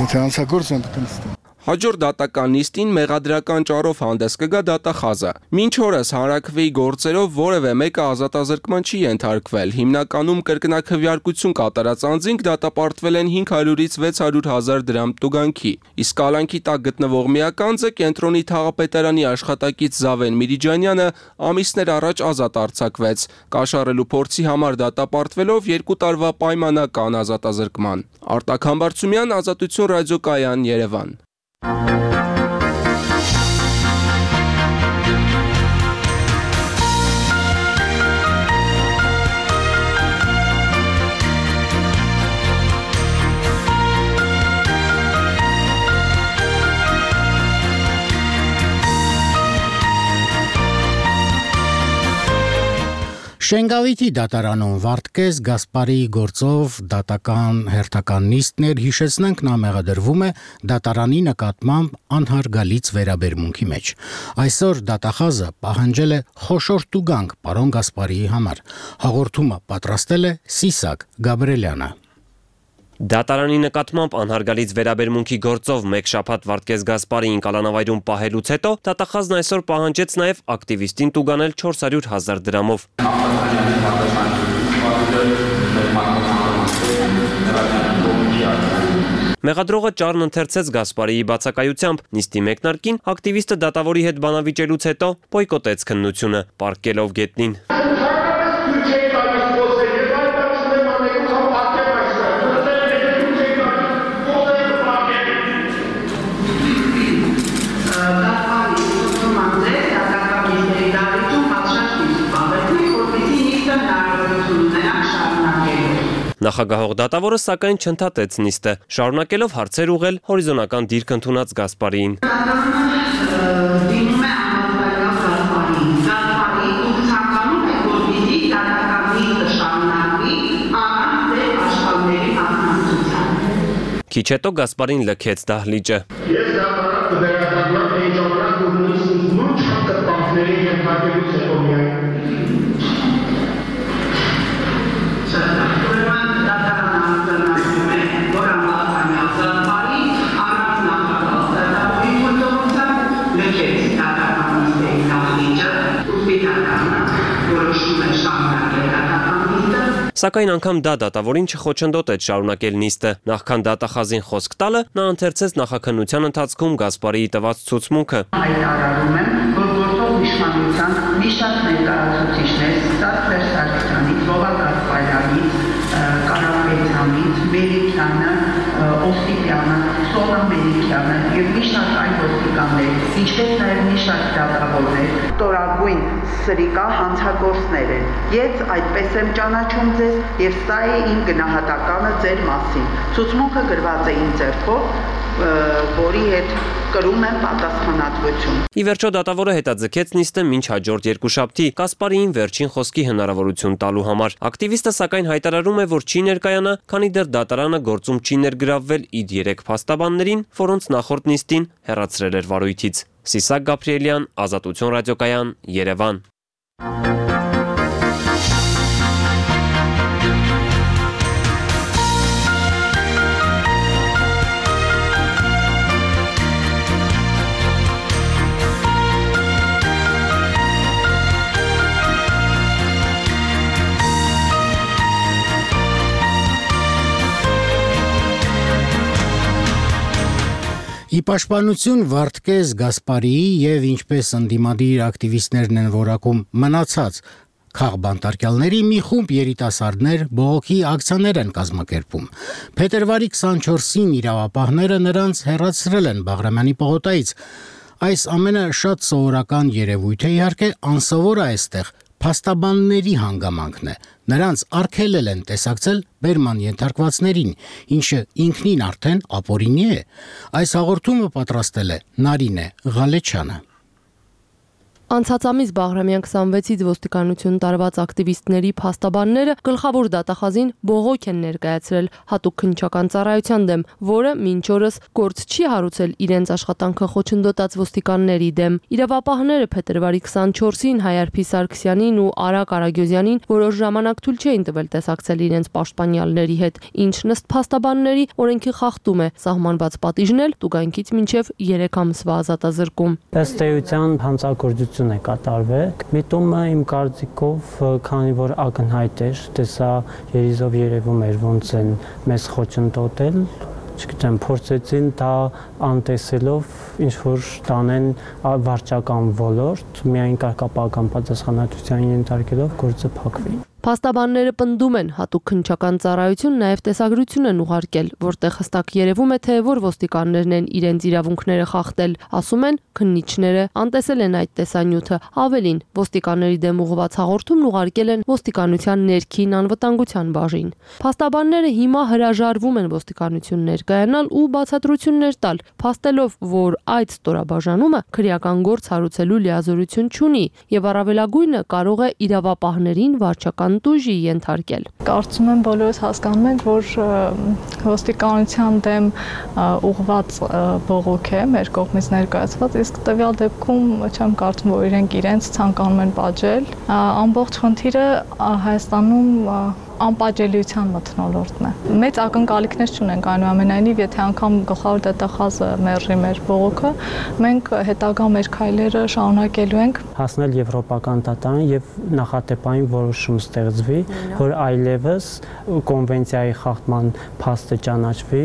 Եթե անցագործ եմ, պետք է նստեմ։ Հաջորդ դատական նիստին մեղադրական ճառով հանդես կգա դատախազը։ Մինչ օրս հանրաքվեի գործերով որևէ մեկը ազատազրկման չի ենթարկվել։ Հիմնականում կրկնակվյարկություն կատարած անձինք դատապարտվել են հինգ հարյուրից վեց հարյուր հազար դրամ տուգանքի։ Իսկ կալանքի տակ գտնվող միակ անձը կենտրոնի թաղապետարանի աշխատակից Զավեն Միրիջանյանը ամիսներ առաջ ազատ արձակվեց, կաշառելու փորձի համար դատապարտվելով երկու տարվա պայմանական ազատազրկման։ Արտակ Համբարձումյան, Ազատություն ռադիոկայան, Երևան։ Շենգավիթի դատարանում Վարդգես Գասպարիի գործով դատական հերթական նիստներ հիշեցնենք նա մեղադրվում է դատարանի նկատմամբ անհարգալից վերաբերմունքի մեջ։ Այսօր դատախազը պահանջել է խոշոր տուգանք պարոն Գասպարիի համար։ Հաղորդումը պատրաստել է Սիսակ Գաբրելյանը։ Դատարանի նկատմամբ անհարգալից վերաբերմունքի գործով մեկ շաբաթ Վարդգես Գասպարիին կալանավայրում պահելուց հետո դատախազն այսօր պահանջեց նաև ակտիվիստին տուգանել չորս հարյուր հազար դրամով։ Մեղադրողը ճառն ընթերցեց Գասպարիի բացակայությամբ, նիստի մեկնարկին ակտիվիստը դատավորի հետ բանավիճելուց հետո բոյկոտեց քննությունը, պառկելով գետնին։ Նախագահող դատավորը սակայն չընդհատեց նիստը, շարունակելով հարցեր ուղղել հորիզոնական դիրք ընդունած Գասպարիին։ Քիչ հետո Գասպարին լքեց դահլիճը։ Ես դատարան կվերադառնամ էջանակ ու նույնիսկ նույն չկտպանքների ենթարկելուց հետո միայն։ Սակայն անգամ դա դատավորին չխոչընդոտեց շարունակել նիստը։ Նախքան դատախազին խոսք տալը, նա ընթերցեց նախաքննության ընթացքում Գասպարիի տված ցուցմունքը։ Հայտարարում եմ, որ գործող իշխանության մի շարք ներկայացուցիչներ Ստատ Վերսալյանից, Վովա Գասպարյանից, Կարապետյանից, Մերիկյանը, Օսիպյանը, Սոնա Մերիկյանը եւ մի շարք այլ ոստիկաններ, ինչպես նաեւ մի շարք դատավորներ, տորագույն սրիկա հանցագործներ են։ Ես այդպես եմ ճանաչում ձեզ եւ սա է իմ գնահատականը ձեր մասին։ Ցուցմունքը գրված է իմ ձեռքով, որի հետ կրում եմ պատասխանատվություն։ Ի վերջո դատավորը հետաձգեց նիստը մինչ հաջորդ երկուշաբթի Գասպարիին վերջին խոսքի հնարավորություն տալու համար։ Ակտիվիստը սակայն հայտարարում է, որ չի ներկայանա, քանի դեռ դատարանը գործում չի ներգրավվել իր երեք փաստաբաններին, որոնց նախորդ նիստին հեռացրել էր վարույթից։ Սիսակ Գաբրիելյան, Ազատություն ռադիոկայան, Երևան։ Ի պաշտպանություն Վարդգես Գասպարիի եւ ինչպես ընդդիմադիր ակտիվիստներն են որակում մնացած քաղբանտարկյալների մի խումբ երիտասարդներ բողոքի ակցիաներ են կազմակերպում։ Փետրվարի քսանչորսին իրավապահները նրանց հեռացրել են Բաղրամյանի պողոտայից։ Այս ամենը շատ սովորական երևույթ է, իհարկե անսովոր է այստեղ փաստաբանների հանգամանքն է։ Նրանց արգելել են տեսակցել բերման ենթարկվածներին, ինչը ինքնին արդեն ապօրինի է։ Այս հաղորդումը պատրաստել է Նարինե Ղալեչյանը։ Անցած ամիս Բաղրամյան քսանվեցից ոստիկանություն տարված ակտիվիստների փաստաբանները գլխավոր դատախազին բողոք են ներկայացրել հատուկ քննչական ծառայության դեմ, որը մինչ օրս գործ չի հարուցել իրենց աշխատանքը խոչընդոտած ոստիկանների դեմ։ Իրավապահները փետրվարի քսանչորսին Հայարփի Սարգսյանին ու Արա Կարագյոզյանին որոշ ժամանակ թույլ չէին տվել տեսակցել իրենց պաշտպանյալների հետ, ինչն ըստ փաստաբանների օրենքի խախտում է, սահմանված պատիժն էլ տուգանքից մինչև երեք ամսվա ազատազրկում։ Ըստ էության հանցագործություն է կատարվել։ Միտումը իմ կարծիքով, քանի որ ակնհայտ էր, տեսա երիզով երևում էր ոնց են մեզ խոչընդոտել, չգիտեմ, փորձեցին դա անտեսելով ինչ որ տանեն վարչական ոլորտ, միայն կարգապահական պատասխանատվության ենթարկելով գործը փակվի։ Փաստաբանները պնդում են, հատուկ քննչական ծառայություն նաև տեսագրություն են ուղարկել, որտեղ հստակ երևում է, թե որ ոստիկաններն են իրենց իրավունքները խախտել, ասում են քննիչները, անտեսել են այդ տեսանյութը, ավելին, ոստիկանների դեմ ուղղված հաղորդումն ուղարկել են ոստիկանության ներքին անվտանգության բաժին։ Փաստաբանները հիմա հրաժարվում են ոստիկանություն ներկայանալ ու բացատրություններ տալ, փաստելով, որ այդ ստորաբաժանումը քրեական գործ հարուցելու լիազորություն չունի եւ առավելագույնը կարող է իրավապահներին վարչական տուժի ենթարկել։ Կարծում եմ բոլորս հասկանում ենք, որ ոստիկանության դեմ ուղղված բողոք է մեր կողմից ներկայացված, իսկ տվյալ դեպքում չեմ կարծում, որ իրենք իրենց ցանկանում են պատժել։ Ամբողջ խնդիրը Հայաստանում անպատժելիության մթնոլորտն է։ Մեծ ակնկալիքներ չունենք, այնուամենայնիվ, եթե անգամ գլխավոր դատախազը մերժի մեր բողոքը, մենք հետագա մեր քայլերը շարունակելու ենք հասնել եվրոպական դատարան եւ նախատեպային որոշում ստեղծվի, որ այլևս կոնվենցիայի խախտման փաստը ճանաչվի,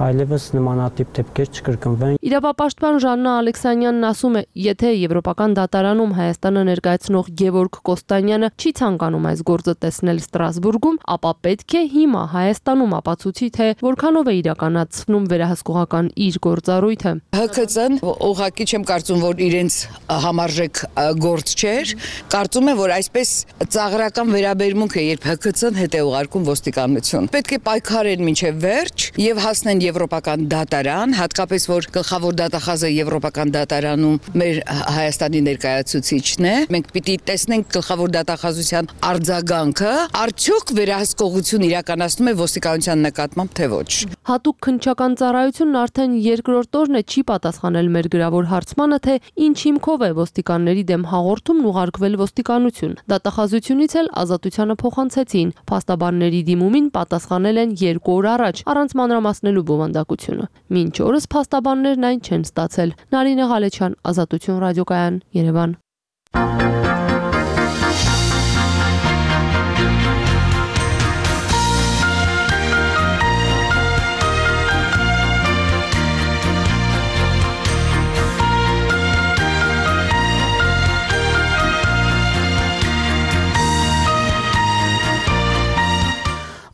այլևս նմանատիպ դեպքեր չկրկնվեն։ Իրավապաշտպան Ժաննա Ալեքսանյանն ասում է, եթե եվրոպական դատարանում Հայաստանը ներկայացնող Գևորգ Կոստանյանը չի ցանկանում այս գործը տեսնել Ստրասբուրգում, ապա պետք է հիմա Հայաստանում ապացուցի, թե որքանով է իրականացնում վերահսկողական իր գործառույթը։ Հ K C-ն ուղղակի չեմ կարծում, որ իրենց համարժեք գործ չէր, կարծում եմ, որ այսպես ծաղրական վերաբերմունք է, երբ Հ K C-ն հետ է ուղարկում ոստիկանություն։ Պետք է պայքարեն մինչև վերջ եւ հասնեն եվրոպական դատարան, հատկապես որ գլխավոր դատախազը եվրոպական դատարանում մեր Հայաստանի ներկայացուցիչն է։ Մենք պիտի տեսնենք գլխավոր դատախազության արձագանքը, արդյոք վերահսկողություն իրականացնում է ոստիկանության նկատմամբ թե ոչ։ Հատուկ քննչական ծառայությունն արդեն երկրորդ օրն է չի պատասխանել մեր գրավոր հարցմանը, թե ինչ հիմքով է ոստիկանների դեմ հաղորդումն ուղարկվել ոստիկանություն։ Դատախազությունից էլ ազատությանը փոխանցեցին։ Փաստաբանների դիմումին պատասխանել են երկու օր առաջ, առանց մանրամասնելու բովանդակությունը։ Մինչ օրս փաստաբաններն այն չեն ստացել։ Նարինե Ղալեչյան, Ազատություն ռադիոկայան, Երևան։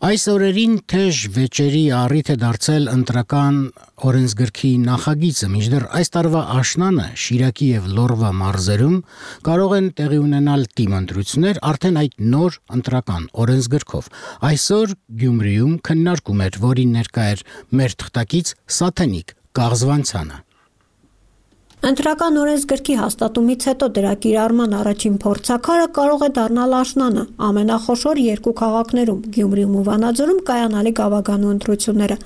Այս օրերին թեժ վեճերի առիթ է դարձել ընտրական օրենսգրքի նախագիծը, մինչդեռ այս տարվա աշնանը Շիրակի եւ Լոռվա մարզերում կարող են տեղի ունենալ դիմընտրություններ արդեն այդ նոր ընտրական օրենսգրքով։ Այսօր Գյումրիում քննարկում էր, որին ներկա էր մեր թղթակից Սաթենիկ Կաղզվանցյանը։ Ընտրական օրենսգրքի հաստատումից հետո դրա կիրառման առաջին փորձաքարը կարող է դառնալ աշնանը ամենախոշոր երկու քաղաքներում՝ Գյումրիում ու Վանաձորում կայանալի գավագանու ընտրությունները։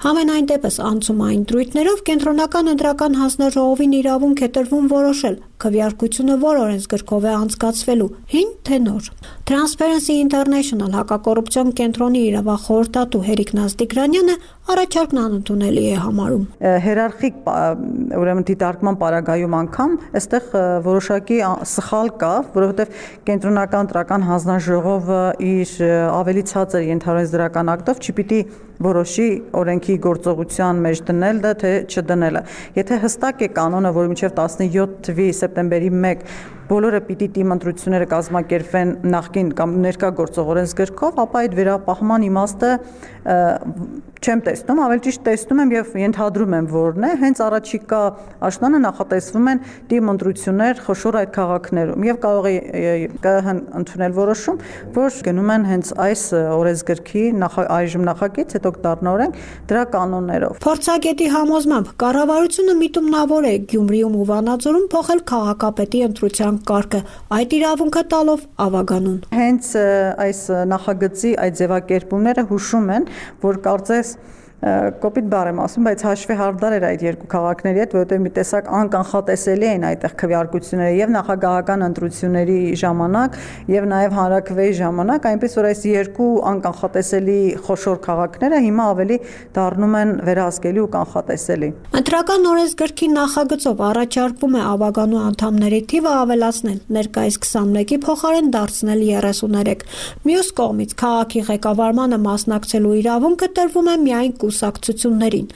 Համենայն դեպս անցումային դրույթներով կենտրոնական ընտրական հանձնաժողովին իրավունք է տրվում որոշել քվեարկությունը որ օրենսգրքով է անցկացվելու՝ հին թե նոր։ Transparency International հակակոռուպցիոն կենտրոնի իրավախորհրդատու Հերիկ Նազդիգրանյանը առաջարկն անընդունելի է համարում։ Հերարխիկ ուրեմն դիտարկման պարագայում անգամ այստեղ որոշակի սխալ կա, որովհետև կենտրոնական ընտրական հանձնաժողովը իր ավելի ցածր ենթարարեց դրական ակտով չպիտի որոշի օրենքի գործողության մեջ դնելը թե չդնելը։ Եթե հստակ է կանոնը, որ մինչև տասնյոթ թվականի սեպտեմբերի մեկը բոլորը պիտի դիմընտրությունները կազմակերպվեն նախկին կամ ներկա գործող օրենսգրքով, ապա այդ վերապահման իմաստը չեմ տեսնում, ավելի ճիշտ տեսնում եմ եւ ենթադրում եմ որն է, հենց առաջիկա աշնանը նախատեսվում են դիմընտրություններ խոշոր այդ քաղաքներում եւ կարող է կհ ընդունել որոշում, որ գնում են հենց այս օրենսգրքի այժմ նախագիծ, հետո հետոք դառնորենք դրա կանոններով։ Փորձագետի համոզմամբ կառավարությունը միտումնավոր է Գյումրիում ու Վանաձորում փոխել քաղաքապետի ընտրության կարգը, այդ իրավունքը տալով Ավագանուն։ Հենց այս նախագծի այդ ձևակերպումները հուշում են, որ կարծես կոպիտ բառ եմ ասում, բայց հաշվի հարդար էր այդ երկու քաղաքների հետ, որովհետև մի տեսակ անկանխատեսելի էին այդտեղ քվեարկությունները եւ նախագահական ընտրությունների ժամանակ եւ նաեւ հանրաքվեի ժամանակ, այնպես որ այս երկու անկանխատեսելի խոշոր քաղաքները հիմա ավելի դառնում են վերահսկելի ու կանխատեսելի։ Ընտրական օրենսգրքի նախագծով առաջարկվում է Ավագանու անդամների թիվը ավելացնել, ներկայիս քսանմեկի փոխարեն դարձնել երեսուներեք։ Մյուս կողմից քաղաքի ղեկավարմանը մասնակցելու իրավունքը տրվում է միայն կուսակցություններին։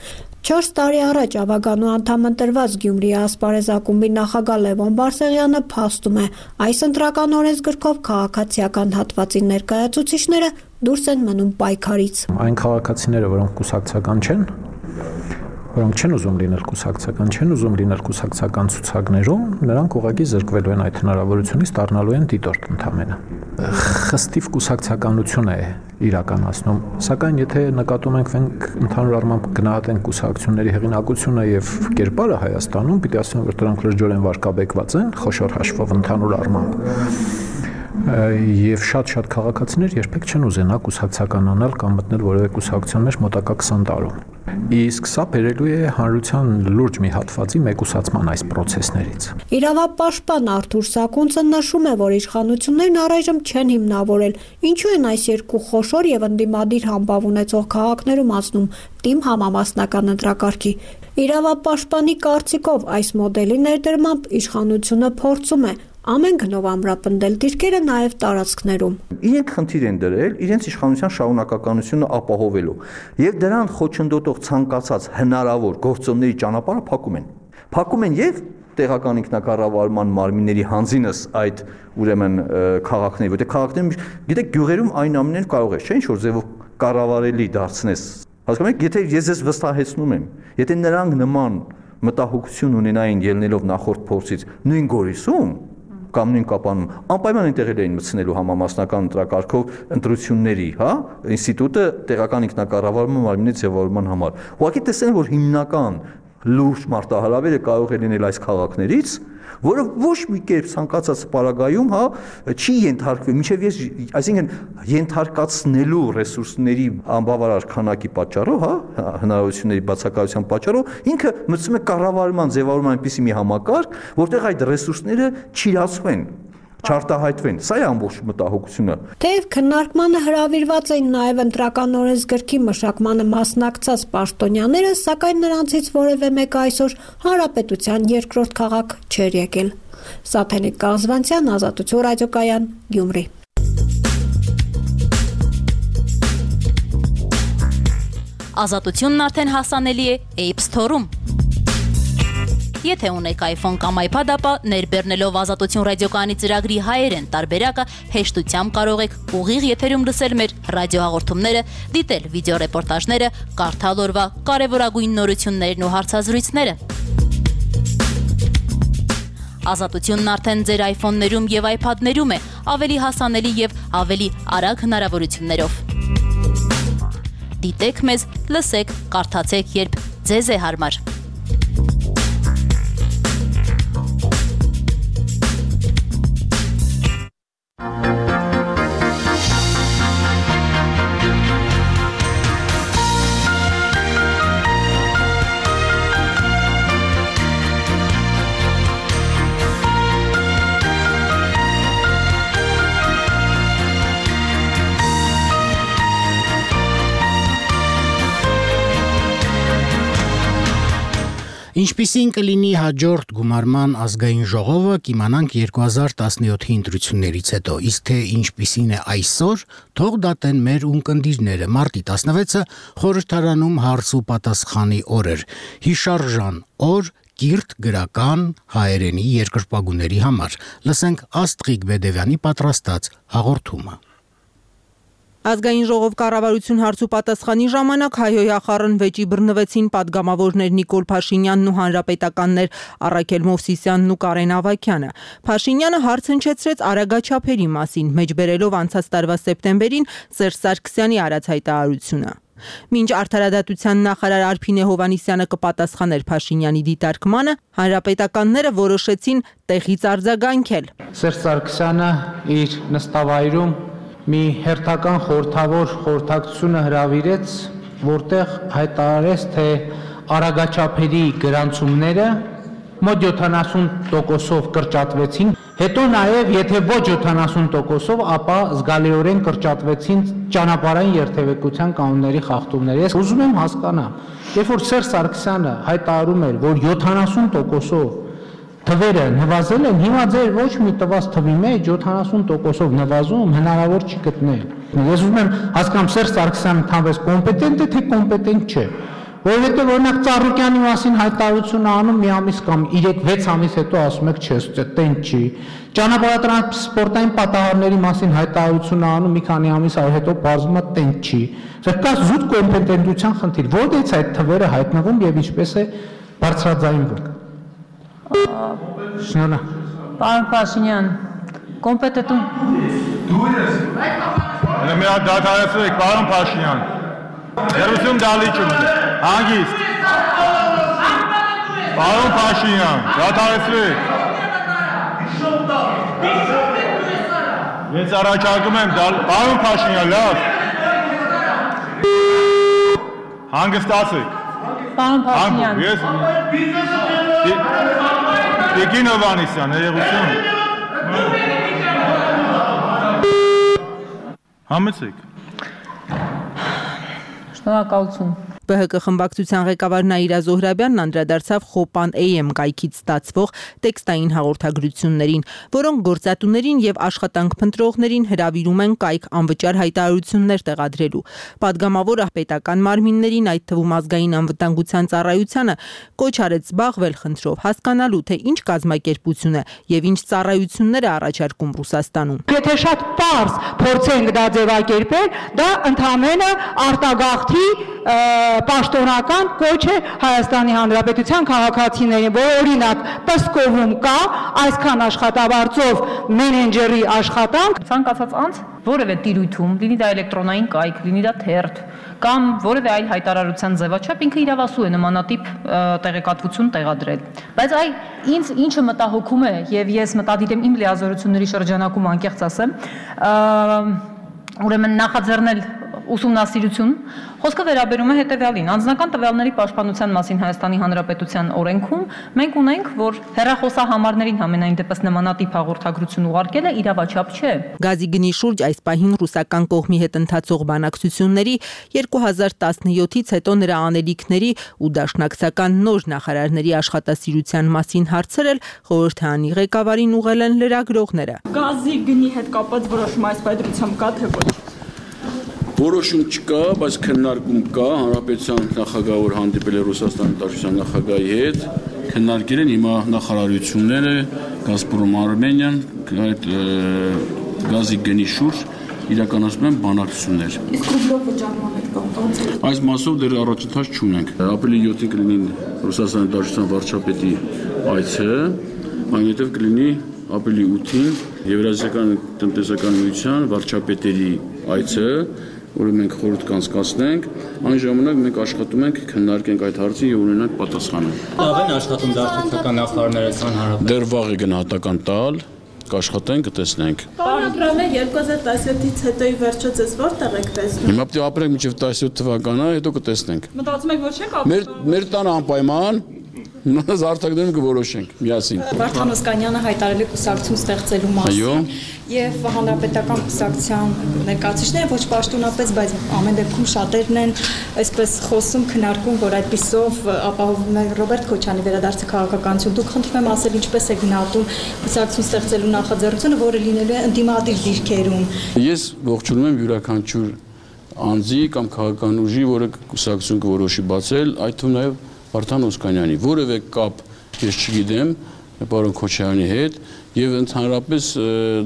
Չորս տարի առաջ Ավագանու անդամ ընտրված Գյումրիի ասպարեզ ակումբի նախագահ Լևոն Բարսեղյանը փաստում է, այս ընտրական օրենսգրքով քաղաքացիական հատվածի ներկայացուցիչները դուրս են մնում պայքարից։ Այն քաղաքացիները, որոնք կուսակցական չեն, որոնք չեն ուզում լինել կուսակցական, չեն ուզում լինել կուսակցական ցուցակներում, նրանք ուղղակի զրկվելու են այդ հնարավորությունից, դառնալու են դիտորդ ընդամենը։ Խստիվ կուսակցականություն է իրականացնում, սակայն եթե նկատում ենք մենք ընդհանուր առմամբ գնահատենք կուսակցությունների հեղինակությունը եւ կերպարը Հայաստանում, պիտի ասեմ, որ դրանք լրջորեն վարկաբեկված են, խոշոր հաշվով ընդհանուր առմամբ։ Եվ շատ-շատ քաղաքացիներ երբեք չեն ուզենա կուսակցականանալ կամ մտնել որևէ կուսակցության մեջ մոտակա քսան տարում։ Իսկ սա բերելու է հանրության լուրջ մի հատվածի մեկուսացման այս process-ներից։ Իրավապաշտպան Արթուր Սակունցը նշում է, որ իշխանություններն առայժմ չեն հիմնավորել, ինչու են այս երկու խոշոր եւ ընդդիմադիր համբավ ունեցող քաղաքներում անցնում թիմ համամասնական ընտրակարգի։ Իրավապաշտպանի կարծիքով այս մոդելի ներդրմամբ իշխանությունը փորձում է ամեն գնով ամրապնդել դիրքերը նաև տարածքներում։ Իրենք խնդիր են դրել իրենց իշխանության շարունակականությունը ապահովելու եւ դրան խոչընդոտող ցանկացած հնարավոր գործոնների ճանապարհը փակում են։ Փակում են եւ տեղական ինքնակառավարման մարմինների հանձինս այդ ուրեմն քաղաքների, որտեղ քաղաքներում, գիտեք, գյուղերում այն ամենը կարող է, չէ՞, ինչ որ ձևով կառավարելի դարձնես։ Հասկանում եք, եթե ես ես վստահեցնում եմ, եթե նրանք նման մտահոգություն ունենային ելնելով նախորդ փորձից նույն Գորիսում կամ նույն Կապանում, անպայման այնտեղ էին մտցնելու համամասնական ընտրակարգով ընտրությունների, հա, ինստիտուտը տեղական ինքնակառավարման մարմինի ձևավորման համար։ Ուղղակի տեսնեն, որ հիմնական լուրջ մարտահրավերը կարող է լինել այս քաղաքներից, որը ոչ մի կերպ ցանկացած պարագայում, հա, չի ենթարկվել, մինչև ես, այսինքն ենթարկացնելու ռեսուրսների անբավարար քանակի պատճառով, հա, հնարավորությունների բացակայության պատճառով, ինքը մտցում է կառավարման ձևավորման այնպիսի մի համակարգ, որտեղ այդ ռեսուրսները չիրացվեն, չարտահայտվեն։ Սա է ամբողջ մտահոգությունը։ Թեև քննարկմանը հրավիրված էին նաև ընտրական օրենսգրքի մշակմանը մասնակցած պաշտոնյաները, սակայն նրանցից որևէ մեկը այսօր հանրապետության երկրորդ քաղաք չէր եկել։ Սաթենիկ Կազվանցյան, Ազատություն ռադիոկայան, Գյումրի։ Ազատությունն արդեն հասանելի է App Store-ում։ Եթե ունեք iPhone կամ iPad, ապա ներբեռնելով Ազատություն ռադիոկայանի ծրագրի հայերեն տարբերակը հեշտությամբ կարող եք ուղիղ եթերում լսել մեր ռադիոհաղորդումները, դիտել վիդեոռեպորտաժները, կարդալ օրվա կարևորագույն նորություններն ու հարցազրույցները։ Ազատությունն արդեն ձեր iPhone-ներում եւ iPad-ներում է, ավելի հասանելի եւ ավելի արագ հնարավորություններով։ Դիտեք մեզ, լսեք, կարդացեք, երբ ձեզ է հարմար։ Ինչպիսին կլինի հաջորդ գումարման ազգային ժողովը, կիմանանք երկու հազար տասնյոթի ընտրություններից հետո, իսկ թե ինչպիսին է այսօր, թող դատեն մեր ունկնդիրները։ Մարտի տասնվեցը խորհրդարանում հարց ու պատասխանի օր էր, հիշարժան օր կիրթ գրական հայերենի երկրպագուների համար։ Լսենք Աստղիկ Բեդևյանի պատրաստած հաղորդումը։ Ազգային ժողով կառավարություն հարցու պատասխանի ժամանակ հայհոյախառն վեճի բռնվեցին падգամավորներ Նիկոլ Փաշինյանն ու հանրապետականներ Առաքել Մովսիսյանն ու Կարեն Ավագյանը։ Փաշինյանը հարց հնչեցրեց արագաչափերի մասին, մեջբերելով անցած տարվա սեպտեմբերին Սերժ Սարգսյանի արած հայտարարությունը։ Մինչ արդարադատության նախարար Արփինե Հովհաննիսյանը կպատասխաներ Փաշինյանի դիտարկմանը, հանրապետականները որոշեցին տեղից արձագանքել։ Սերժ Սարգսյանը իր նստավայրում մի հերթական խորհրդավոր խորհրդակցությունը հրավիրեց, որտեղ հայտարարեց, թե արագաչափերի գրանցումները մոտ յոթանասուն տոկոսով կրճատվեցին, հետո նաև եթե ոչ յոթանասուն տոկոսով, ապա զգալիորեն կրճատվեցին ճանապարհային երթևեկության կանոնների խախտումները։ Ես ուզում եմ հասկանամ, երբ որ Սերժ Սարգսյանը հայտարարում էր, որ յոթանասուն տոկոսով թվերը նվազել են, հիմա ձեր ոչ մի տված թվի մեջ յոթանասուն տոկոսով նվազում հնարավոր չի գտնել։ Ես ուզում եմ հասկանամ, Սերժ Սարգսյանը թանվեց կոմպետենտ է, թե կոմպետենտ չէ։ Որովհետև օրինակ Ծառուկյանի մասին հայտարարություն անում մի ամիս կամ երեք-վեց ամիս հետո ասում եք չէ, տենց չի։ Ճանապարհատրանսպորտային պատահարների մասին հայտարարություն անում մի քանի ամիս հետո բարձում է տենց չի։ Սա կա զուտ կոմպետենտության խնդիր։ Որտե՞ց այդ թվերը հայտնվում եւ ինչպես է բարձրաձայնվում։ Շնորհակալ։ Պարոն Փաշինյան, կոմպետենտում։ Դու ես։ Մենք դադարեցրեք, պարոն Փաշինյան։ Երուսում դալիճում է, հանգիստ։ Պարոն Փաշինյան, դադարեցրեք։ Ես առաջարկում եմ, պարոն Փաշինյան, լավ։ Հանգստացեք։ Պարոն Փաշինյան։ Ես Տիկին Հովհաննիսյան, երևություն։ Համեցեք։ Շնորհակալություն։ Բ Հ Կ խմբակցության ղեկավար Նաիրա Զոհրաբյանն անդրադարձավ Խոպան Էյ Էմ կայքից ստացվող տեքստային հաղորդագրություններին, որոնք գործատուներին եւ աշխատանք փնտրողներին հրավիրում են կայք անվճար հայտարարություններ տեղադրելու։ Պատգամավորը պետական մարմիններին, այդ թվում ազգային անվտանգության ծառայությանը, կոչ արեց զբաղվել խնդրով, հասկանալու թե ինչ կազմակերպություն է եւ ինչ ծառայություններ է առաջարկում Ռուսաստանում։ Եթե շատ պարզ փորձենք դա ձևակերպել, դա ընդհանրապես արտագաղթի պաշտոնական կոչ է Հայաստանի Հանրապետության քաղաքացիներին, որ օրինակ Պսկովում կա այսքան աշխատավարձով մենեջերի աշխատանք, ցանկացած անձ որևէ տիրույթում, լինի դա էլեկտրոնային կայք, լինի դա թերթ կամ որևէ այլ հայտարարության ձևաչափ, ինքը իրավասու է նմանատիպ տեղեկատվություն տեղադրել։ Բայց այ ինձ ինչը մտահոգում է, եւ ես մտադիր եմ իմ լիազորությունների շրջանակում անկեղծ ասեմ, ուրեմն նախաձեռնել ուսումնասիրություն, խոսքը վերաբերում է հետևյալին. անձնական տվյալների պաշտպանության մասին Հայաստանի Հանրապետության օրենքում մենք ունենք, որ հեռախոսահամարներին համենայն դեպս նմանատիպ հաղորդագրություն ուղարկելը իրավաչափ չէ։ Գազի գնի շուրջ այս պահին ռուսական կողմի հետ ընթացող բանակցությունների երկու հազար տասնյոթից հետո նրա անելիքների ու դաշնակցական նոր նախարարների աշխատասիրության մասին հարցերել խորհրդարանի ղեկավարին ուղղել են լրագրողները։ Գազի գնի հետ կապված որոշում այս պայմանությամբ կա թե ոչ։ Որոշում չկա, բայց քննարկում կա, հանրապետության նախագահը որ հանդիպել է Ռուսաստանի Դաշնության նախագահի հետ, քննարկել են հիմա նախարարությունները, Գազպրոմ Արմենիան, այդ գազի գնի շուրջ իրականացնում են բանակցություններ։ Իսկ ռուբլով վճարման հետ կապված այս մասով դեռ առաջընթաց չունենք։ Ապրիլի յոթին կլինի Ռուսաստանի Դաշնության վարչապետի այցը, այնուհետև կլինի ապրիլի ութին Եվրասիական տնտեսական միության վարչապետերի այցը, որը մենք խորհուրդ կանցկացնենք, այն ժամանակ մենք աշխատում ենք քննարկենք այդ հարցը եւ ունենանք պատասխանը։ Լավ են աշխատում դաշնակցական նախարարները ցան հարաբերական։ Դեռ վաղ է գնահատական տալ, կաշխատենք, կտեսնենք։ Պարոն Աբրամյան, երկու հազար տասնյոթից հետո ի վերջո ձեզ որտեղ եք տեսնում։ Հիմա պետք է ապրենք մինչև տասնյոթ թվականը, հետո կտեսնենք։ Մտածում եք, որ չեք ապրում։ Մեր մեր տանը անպայման Նույնպես արտակներում կորոշենք միասին։ Վարդան Օսկանյանը հայտարարել է կուսակցություն ստեղծելու մասին եւ հանրապետական կուսակցության ներկայացուցիչները ոչ պաշտոնապես, բայց ամեն դեպքում շատերն են այսպես խոսում, քննարկում, որ այդպիսով ապահովում է Ռոբերտ Քոչյանի վերադարձը քաղաքականություն։ Դուք խնդրում եմ ասել ինչպես է գնահատում կուսակցություն ստեղծելու նախաձեռնությունը, որը լինելու է ընդդիմադիր դիրքերում։ Ես ողջունում եմ յուրաքանչյուր անձի կամ քաղաքական ուժի, որը կուսակցություն կորոշի բացել, այդ թվում նաեւ Վարդան Օսկանյանի որևէ կապ ես չգիտեմ պարոն Քոչարյանի հետ եւ ընդհանրապես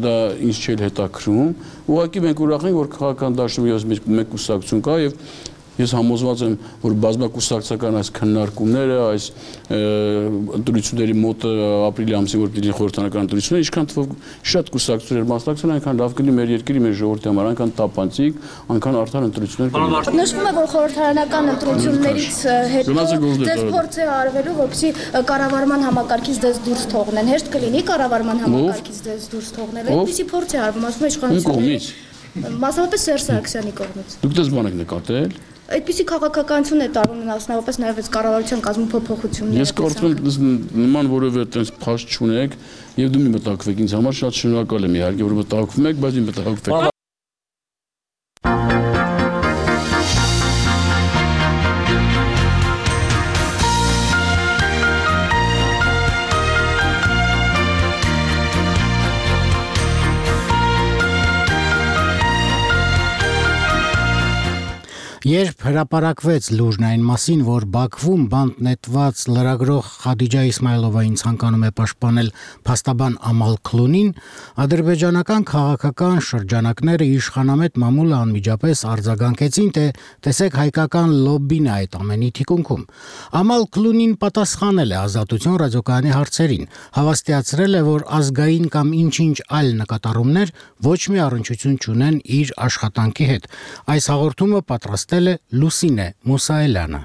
դա ինչ չէ հետաքրում։ Ուղղակի մենք ուրախ ենք, որ քաղաքական դաշնամուրի մեջ մեկ կուսակցություն կա եւ Ես համոզված եմ, որ բազմակուսակցական այս քննարկումները, այս ընտրությունների մոտ ապրիլի ամսին որ դիտի խորհրդանական ընտրությունները, ինչքան թվով շատ կուսակցություններ մասնակցեն, այնքան լավ կլինի մեր երկրի, մեր ժողովրդի համար, այնքան տապանցիկ, այնքան արդար ընտրություններ կլինի։ Նշվում է, որ խորհրդարանական ընտրություններից հետո դες փորձ է արվելու, որպեսզի կառավարման համակարգից դες դուրս թողնեն։ Հեշտ կլինի կառավարման համակարգից դες դուրս թողնել։ Այդպիսի փորձ է արվում, ասում է իշխանությունը։ Մասնավորապես Սերժ Սարգսյանի կողմից։ Դուք դες բան եք նկատել։ Այդպիսի քաղաքականություն է տարվում մասնավորապես նաև այս կառավարության կազմում փոփոխությունները։ Ես կարծում եմ նման որևէ այդպես փաստ չունեք եւ դու մի մտակվեք ինձ համար շատ շնորհակալ եմ իհարկե որ մտակվում եք, բայց մի մտակվեք։ Երբ հրապարակվեց լուրն այն մասին, որ Բաքվում բանտ նետված լրագրող Խադիջա Իսմայլովային ցանկանում է պաշտպանել փաստաբան Ամալ Քլունին, ադրբեջանական քաղաքական շրջանակները իշխանամետ մամուլը անմիջապես արձագանքեցին, թե տեսեք հայկական լոբբին է այդ ամենի թիկունքում։ Ամալ Քլունին պատասխանել է Ազատություն ռադիոկայանի հարցերին, հավաստիացրել է, որ ազգային կամ ինչ-ինչ այլ նկատառումներ ոչ մի առնչություն չունեն իր աշխատանքի հետ։ Այս հաղորդումը պատրաստել Լուսինե Մուսայելյանը։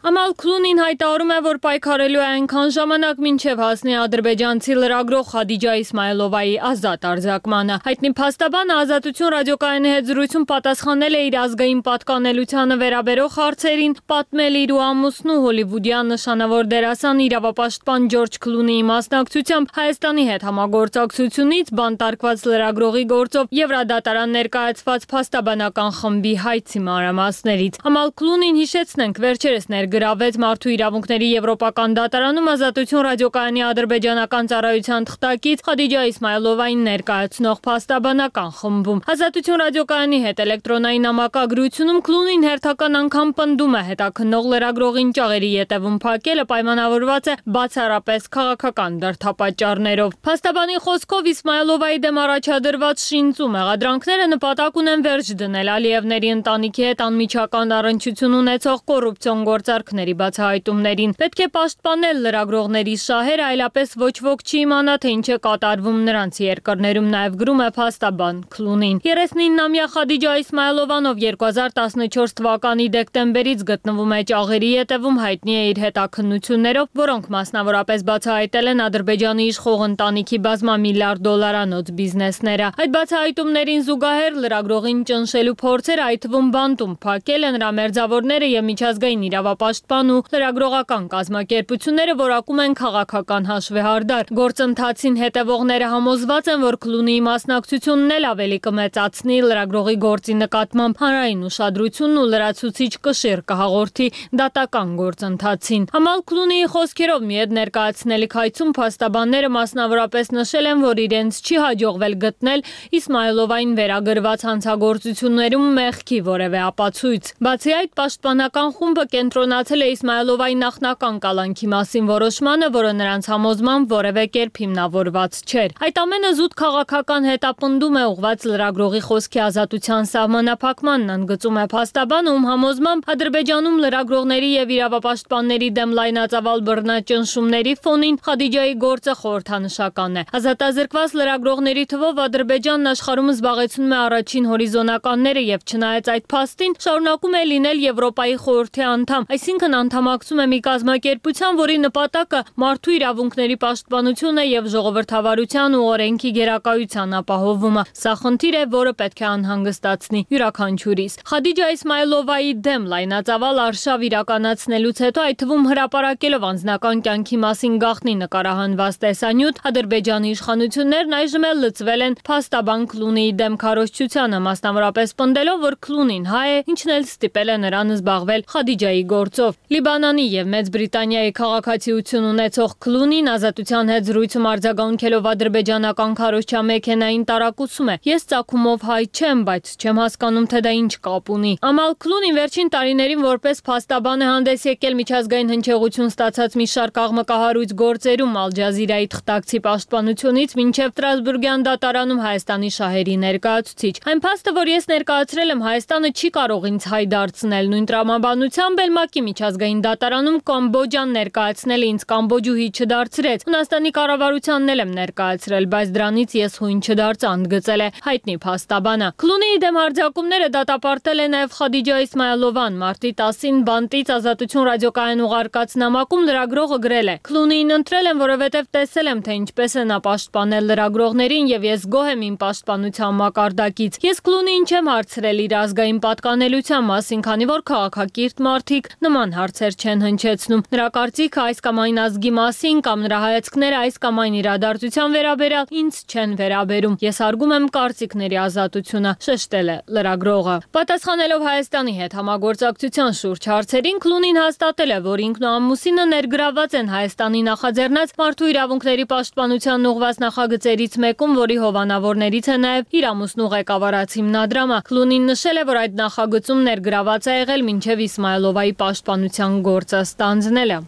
Ամալ Քլունին հայտարարում է, որ պայքարելու է այնքան ժամանակ, մինչև հասնի ադրբեջանցի լրագրող Խադիջա Իսմայլովայի ազատ արձակմանը։ Հայտնի փաստաբանը Ազատություն ռադիոկայանի հետ զրույցում պատասխանել է իր ազգային պատկանելությանը վերաբերող հարցերին, պատմել իր ու ամուսնու հոլիվուդյան նշանավոր դերասան իրավապաշտպան Ջորջ Քլունիի մասնակցությամբ Հայաստանի հետ համագործակցությունից բանտարկված լրագրողի գործով Եվրադատարան ներկայացված փաստաբանական խմբի հայցի մանրամասներից։ Ամալ Քլունին հիշեցնենք վերջերս գրավեց Մարդու իրավունքների Եվրոպական դատարանում Ազատություն ռադիոկայանի ադրբեջանական ծառայության թղթակից Խադիջա Իսմայլովային ներկայացնող փաստաբանական խմբում։ Ազատություն ռադիոկայանի հետ էլեկտրոնային նամակագրությունում Քլունին հերթական անգամ պնդում է հետաքննող լրագրողին ճաղերի ետևում փակելը պայմանավորված է բացառապես քաղաքական դրդապատճառներով։ Փաստաբանի խոսքով Իսմայլովայի դեմ առաջադրված շինծու մեղադրանքները նպատակ ունեն վերջ դնել Ալիևների ընտանիքի հետ անմիջական առնչություն ունեցող կոռուպցիոն գործարքների բացահայտումներին։ Պետք է պաշտպանել լրագրողների շահերը, այլապես ոչ ոք չի իմանա, թե ինչ է կատարվում նրանց երկրներում, նաև գրում է փաստաբան Քլունին։ երեսնինամյա Խադիջա Իսմայլովան, ով երկու հազար տասնչորս թվականի դեկտեմբերից գտնվում է ճաղերի ետևում, հայտնի է իր հետաքննություններով, որոնք մասնավորապես բացահայտել են Ադրբեջանի իշխող ընտանիքի բազմամիլիարդ դոլարանոց բիզնեսները։ Այդ բացահայտումներին զուգահեռ լրագրողին ճնշելու փորձերը, այդ թվում բանտում փակելը, նրա մերձավորները եւ միջազգային իրավապաշտպան ու լրագրողական կազմակերպությունները որակում են քաղաքական հաշվեհարդար։ Գործընթացին հետևողները համոզված են, որ Քլունիի մասնակցությունն էլ ավելի կմեծացնի լրագրողի գործի նկատմամբ հանրային ուշադրությունն ու լրացուցիչ կշիռ կհաղորդի դատական գործընթացին։ Ամալ Քլունիի խոսքերով մի հետ ներկայացնելիք հայցում փաստաբանները մասնավորապես նշել են, որ իրենց չի հաջողվել գտնել Իսմայլովային վերագրված հանցագործություններում մեղքի որևէ ապացույց։ Բացի այդ, պաշտպանական խումբը կենտրոնացել է Իսմայլովայի նախնական կալանքի մասին որոշմանը, որը նրանց համոզմամբ որևէ կերպ հիմնավորված չէր։ Այդ ամենը զուտ քաղաքական հետապնդում է ուղղված լրագրողի խոսքի ազատության սահմանափակմանն, ընդգծում է փաստաբանը, ում համոզմամբ Ադրբեջանում լրագրողների եւ իրավապաշտպանների դեմ լայնածավալ բռնաճնշումների ֆոնին Խադիջայի գործը խորհրդանշական է։ Ազատազրկված լրագրողների թվով Ադրբեջանն աշխարհում զբաղեցնում է առաջին հորիզոնականները եւ չնայած այդ փաստին շարունակում է լինել Եվրոպայի խորհրդի անդամ, այսինքն անդամակցում է մի կազմակերպության, որի նպատակը մարդու իրավունքների պաշտպանությունը եւ ժողովրդավարության ու օրենքի գերակայության ապահովումը։ Սա խնդիր է, որը պետք է անհանգստացնի յուրաքանչյուրիս։ Խադիջա Իսմայլովայի դեմ լայնածավալ արշավ իրականացնելուց հետո, այդ թվում հրապարակելով անձնական կյանքի մասին գաղտնի նկարահանված տեսանյութ, Ադրբեջանի իշխանություններն այժմ էլ լծվել են փաստաբան Քլունիի դեմ քարոզչությանը, մասնավորապես պնդելով, որ Քլունին հայ է, ինչն էլ ստիպել է նրան զբաղվել Խադիջայի գործ գործով։ Լիբանանի եւ Մեծ Բրիտանիայի քաղաքացիություն ունեցող Քլունին ազատության հետ զրույցում արձագանքելով ադրբեջանական քարոզչա մեքենային տարակուսում է. Ես ծագումով հայ չեմ, բայց չեմ հասկանում, թե դա ինչ կապ ունի։ Ամալ Քլունին վերջին տարիներին որպես փաստաբան է հանդես եկել միջազգային հնչեղություն ստացած մի շարք աղմկահարույց գործերում Ալ Ջազիրայի թղթակցի պաշտպանությունից մինչև Ստրասբուրգյան դատարանում Հայաստանի շահերի ներկայացուցիչ։ Այն փաստը, որ ես ներկայացրել եմ, Հայաստանը չի կարող ինձ հայ դարձնել։ Նույն տրամաբանությամբ էլ ՄԱԿ-ի միջազգային դատարանում Կամբոջան ներկայացնելը ինձ կամբոջուհի չդարձրեց։ Հունաստանի կառավարությանն էլ եմ ներկայացրել, բայց դրանից ես հույն չդարձա, ընդգծել է հայտնի փաստաբանը։ Քլունիի դեմ հարձակումները դատապարտել է նաև Խադիջա Իսմայելովան։ Մարտի տասին բանտից Ազատություն ռադիոկայան ուղարկած նամակում լրագրողը գրել է. Քլունիին ընտրել եմ, որովհետև տեսել եմ, թե ինչպես է նա պաշտպանել լրագրողներին եւ ես գոհ եմ իմ պաշտպանության մակարդակից։ Ես Քլունիին չեմ հարցրել իր ազգային պատկանելության մասին, քանի որ քաղաքակիրթ մարդիկ նման հարցեր չեն հնչեցնում։ Նրա կարծիքը այս կամ այն ազգի մասին կամ նրա հայացքները այս կամ այն իրադարձության վերաբերյալ ինձ չեն վերաբերում։ Ես հարգում եմ կարծիքների ազատությունը, շեշտել է լրագրողը։ Պատասխանելով Հայաստանի հետ համագործակցության շուրջ հարցերին, Քլունին հաստատել է, որ ինքն ու ամուսինը ներգրավված են Հայաստանի նախաձեռնած մարդու իրավունքների պաշտպանության ուղղված նախագծերից մեկում, որի հովանավորներից է նաև իր ամուսնու ղեկավարած հիմնադրամը։ Քլունին նշել է, որ այդ նախագծում ներգրաված է եղել մինչև Իսմայելովայի պաշտպանության գործը ստանձնելը։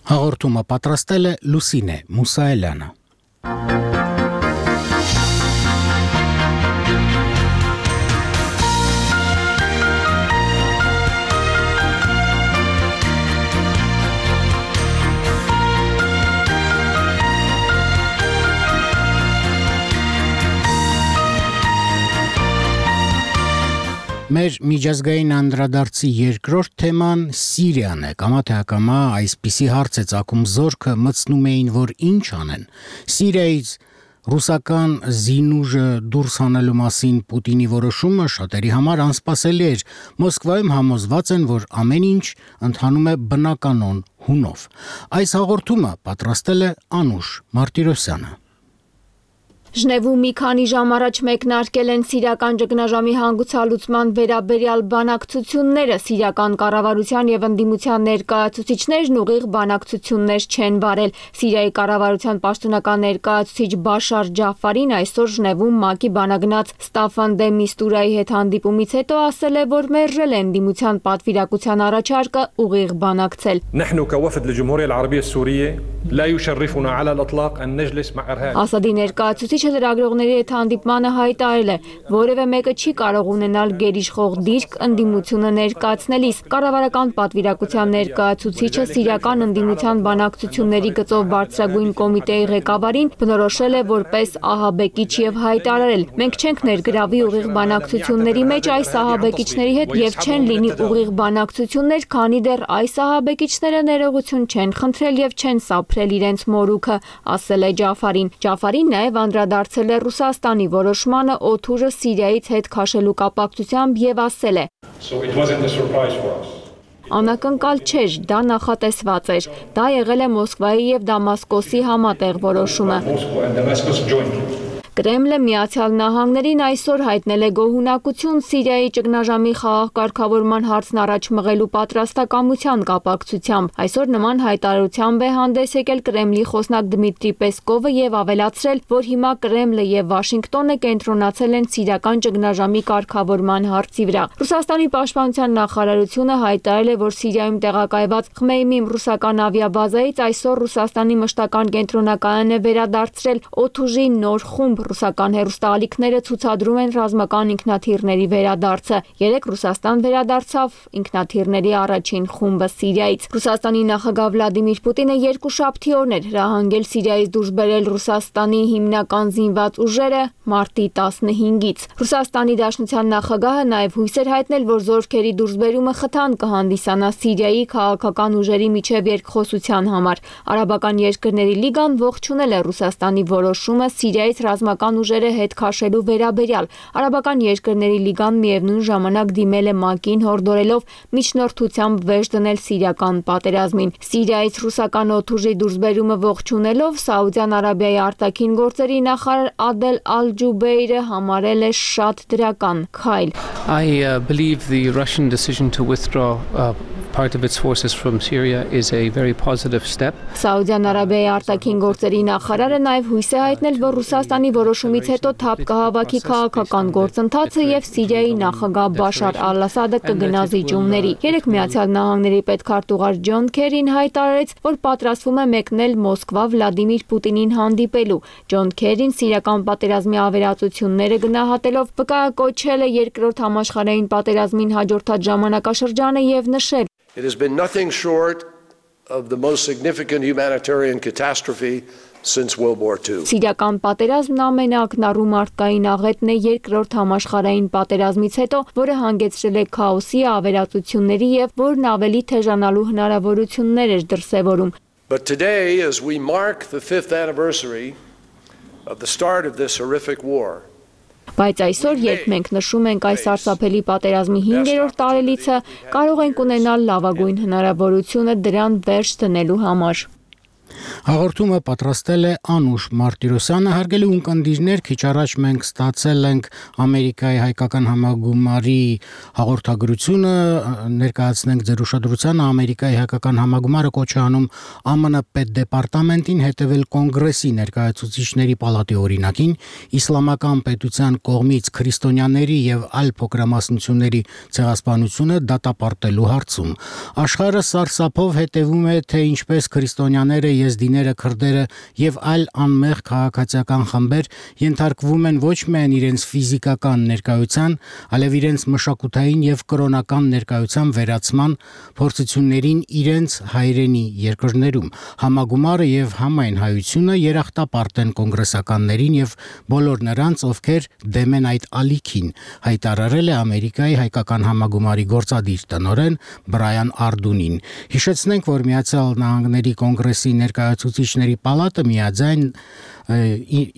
Հաղորդումը պատրաստել է Լուսինե Մուսայելյանը։ Մեր միջազգային անդրադարձի երկրորդ թեման Սիրիան է։ Կամա թե ակամա այսպիսի հարց է ծագում զորքը մտցնում էին, որ ինչ անեն։ Սիրիայից ռուսական զինուժը դուրս հանելու մասին Պուտինի որոշումը շատերի համար անսպասելի էր։ Մոսկվայում համոզված են, որ ամեն ինչ ընթանում է բնականon հունով։ Այս հաղորդումը պատրաստել է Անուշ Մարտիրոսյանը։ Ժնևում մի քանի ժամ առաջ մեկնարկել են սիրիական ճգնաժամի հանգուցալուծման վերաբերյալ բանակցությունները։ Սիրիական կառավարության եւ ընդդիմության ներկայացուցիչներն ուղիղ բանակցություններ չեն վարել։ Սիրիայի կառավարության պաշտոնական ներկայացուցիչ Բաշար Ջաֆարին այսօր Ժնևում ՄԱԿ-ի բանագնաց Ստաֆան դե Միստուրայի հետ հանդիպումից հետո ասել է, որ մերժել է ընդդիմության պատվիրակության առաջարկը ուղիղ բանակցել։ Ասադի ներկայացուցիչ լրագրողների հետ հանդիպմանը հայտարարել է, որևէ մեկը չի կարող ունենալ գերիշխող դիրք ընդդիմությունը ներկայացնելիս։ Կառավարական պատվիրակության ներկայացուցիչը սիրիական ընդդիմության բանակցությունների գծով բարձրագույն կոմիտեի ղեկավարին բնորոշել է որպես ահաբեկիչ եւ հայտարարել. մենք չենք ներգրավի ուղիղ բանակցությունների մեջ այս ահաբեկիչների հետ եւ չեն լինի ուղիղ բանակցություններ, քանի դեռ այս ահաբեկիչները ներողություն չեն խնդրել եւ չեն սափրել իրենց մորուքը, ասել է Ջաֆարին։ Ջաֆարին նաեւ անդրադարձել է Ռուսաստանի որոշմանը օդուժը Սիրիայից հետ քաշելու կապակցությամբ եւ ասել է. Անակնկալ չէր, դա նախատեսված էր։ Դա եղել է Մոսկվայի եւ Դամասկոսի համատեղ որոշումը։ Կրեմլը Միացյալ Նահանգներին այսօր հայտնել է գոհունակություն Սիրիայի ճգնաժամի խաղաղ կարգավորման հարցն առաջ մղելու պատրաստակամության կապակցությամբ։ Այսօր նման հայտարարությամբ է հանդես եկել Կրեմլի խոսնակ Դմիտրի Պեսկովը եւ ավելացրել, որ հիմա Կրեմլը եւ Վաշինգտոնը կենտրոնացել են սիրիական ճգնաժամի կարգավորման հարցի վրա։ Ռուսաստանի պաշտպանության նախարարությունը հայտարարել է, որ Սիրիայում տեղակայված Խմեյմիմ ռուսական ավիաբազայից այսօր Ռուսաստանի մշտական կենտրոնակայան է վերադարձրել օդուժի նոր խումբ։ Ռուսական հեռուստաալիքները ցուցադրում են ռազմական ինքնաթիռների վերադարձը։ Երեկ Ռուսաստան վերադարձավ ինքնաթիռների առաջին խումբը Սիրիայից։ Ռուսաստանի նախագահ Վլադիմիր Պուտինը երկուշաբթի օրն էր հրահանգել Սիրիայից դուրս բերել Ռուսաստանի հիմնական զինված ուժերը մարտի տասնհինգից։ Ռուսաստանի Դաշնության նախագահը նաև հույս էր հայտնել, որ զորքերի դուրսբերումը խթան կհանդիսանա Սիրիայի քաղաքական ուժերի միջև երկխոսության համար։ Արաբական երկրների լիգան ողջունել է Ռուսաստանի որոշումը Սիրիայից ռազմական ուժերը հետ քաշելու վերաբերյալ։ Արաբական երկրների լիգան միևնույն ժամանակ դիմել է ՄԱԿ-ին հորդորելով միջնորդությամբ վերջ դնել սիրիական պատերազմին։ Սիրիայից ռուսական օդուժի դուրսբերումը ողջունելով Սաուդյան Արաբիայի արտաքին գործերի նախարար Ադել Ալ-Ջուբեյրը համարել է շատ դրական քայլ։ I uh, believe the Russian decision to withdraw uh, part of its forces from Syria is a very positive step. Սաուդյան Արաբիայի արտաքին գործերի նախարարը նաև հույս է հայտնել, որ Ռուսաստանի որոշումից հետո թափ կհավաքի քաղաքական գործընթացը եւ Սիրիայի նախագահ Բաշար Ալ-Ասադը կգնա զիջումների։ Երեք Միացյալ Նահանգների պետքարտուղար Ջոն Քերին հայտարարեց, որ պատրաստվում է մեկնել Մոսկվա Վլադիմիր Պուտինին հանդիպելու։ Ջոն Քերին սիրիական պատերազմի ավերածությունները գնահատելով վկայակոչել է երկրորդ համաշխարհային պատերազմին հաջորդած ժամանակաշրջանը եւ նշել. It has been nothing short of the most significant humanitarian catastrophe since World War Two. Սիրիական պատերազմն ամենաակնառու մարդկային աղետն է երկրորդ համաշխարհային պատերազմից հետո, որը հանգեցրել է քաոսի, ավերածությունների եւ որն ավելի թեժանալու հնարավորություններ էր դրսեւորում։ But today, as we mark the fifth anniversary of the start of this horrific war, Բայց այսօր, երբ մենք նշում ենք այս սարսափելի պատերազմի հինգերորդ տարելիցը, կարող ենք ունենալ լավագույն հնարավորությունը դրան վերջ դնելու համար։ Հաղորդումը պատրաստել է Անուշ Մարտիրոսյանը, հարգելի ունկնդիրներ, քիչ առաջ մենք ստացել ենք Ամերիկայի հայկական համագումարի հաղորդագրությունը, ներկայացնենք ձեր ուշադրությանը Ամերիկայի հայկական համագումարը կոչ է անում ԱՄՆ պետդեպարտամենտին հետևել կոնգրեսի ներկայացուցիչների պալատի օրինակին, իսլամական պետության կողմից քրիստոնյաների եւ այլ փոքրամասնությունների ցեղասպանությունը դատապարտելու հարցում։ Աշխարհը սարսափով հետևում է, թե ինչպես քրիստոնյաները եզդիները, քրդերը եւ այլ անմեղ քաղաքացիական խմբեր ենթարկվում են ոչ միայն իրենց ֆիզիկական ներկայության, այլև իրենց մշակութային եւ կրոնական ներկայության վերացման փորձություններին իրենց հայրենի երկրներում։ Համագումարը եւ համայն հայությունը երախտապարտ են կոնգրեսականներին եւ բոլոր նրանց, ովքեր դեմ են այդ ալիքին, հայտարարել է Ամերիկայի հայկական համագումարի գործադիր տնօրեն Բրայան Արդունին։ Հիշեցնենք, որ Միացյալ Նահանգների կոնգրեսի ներկայացուցիչների պալատը միաձայն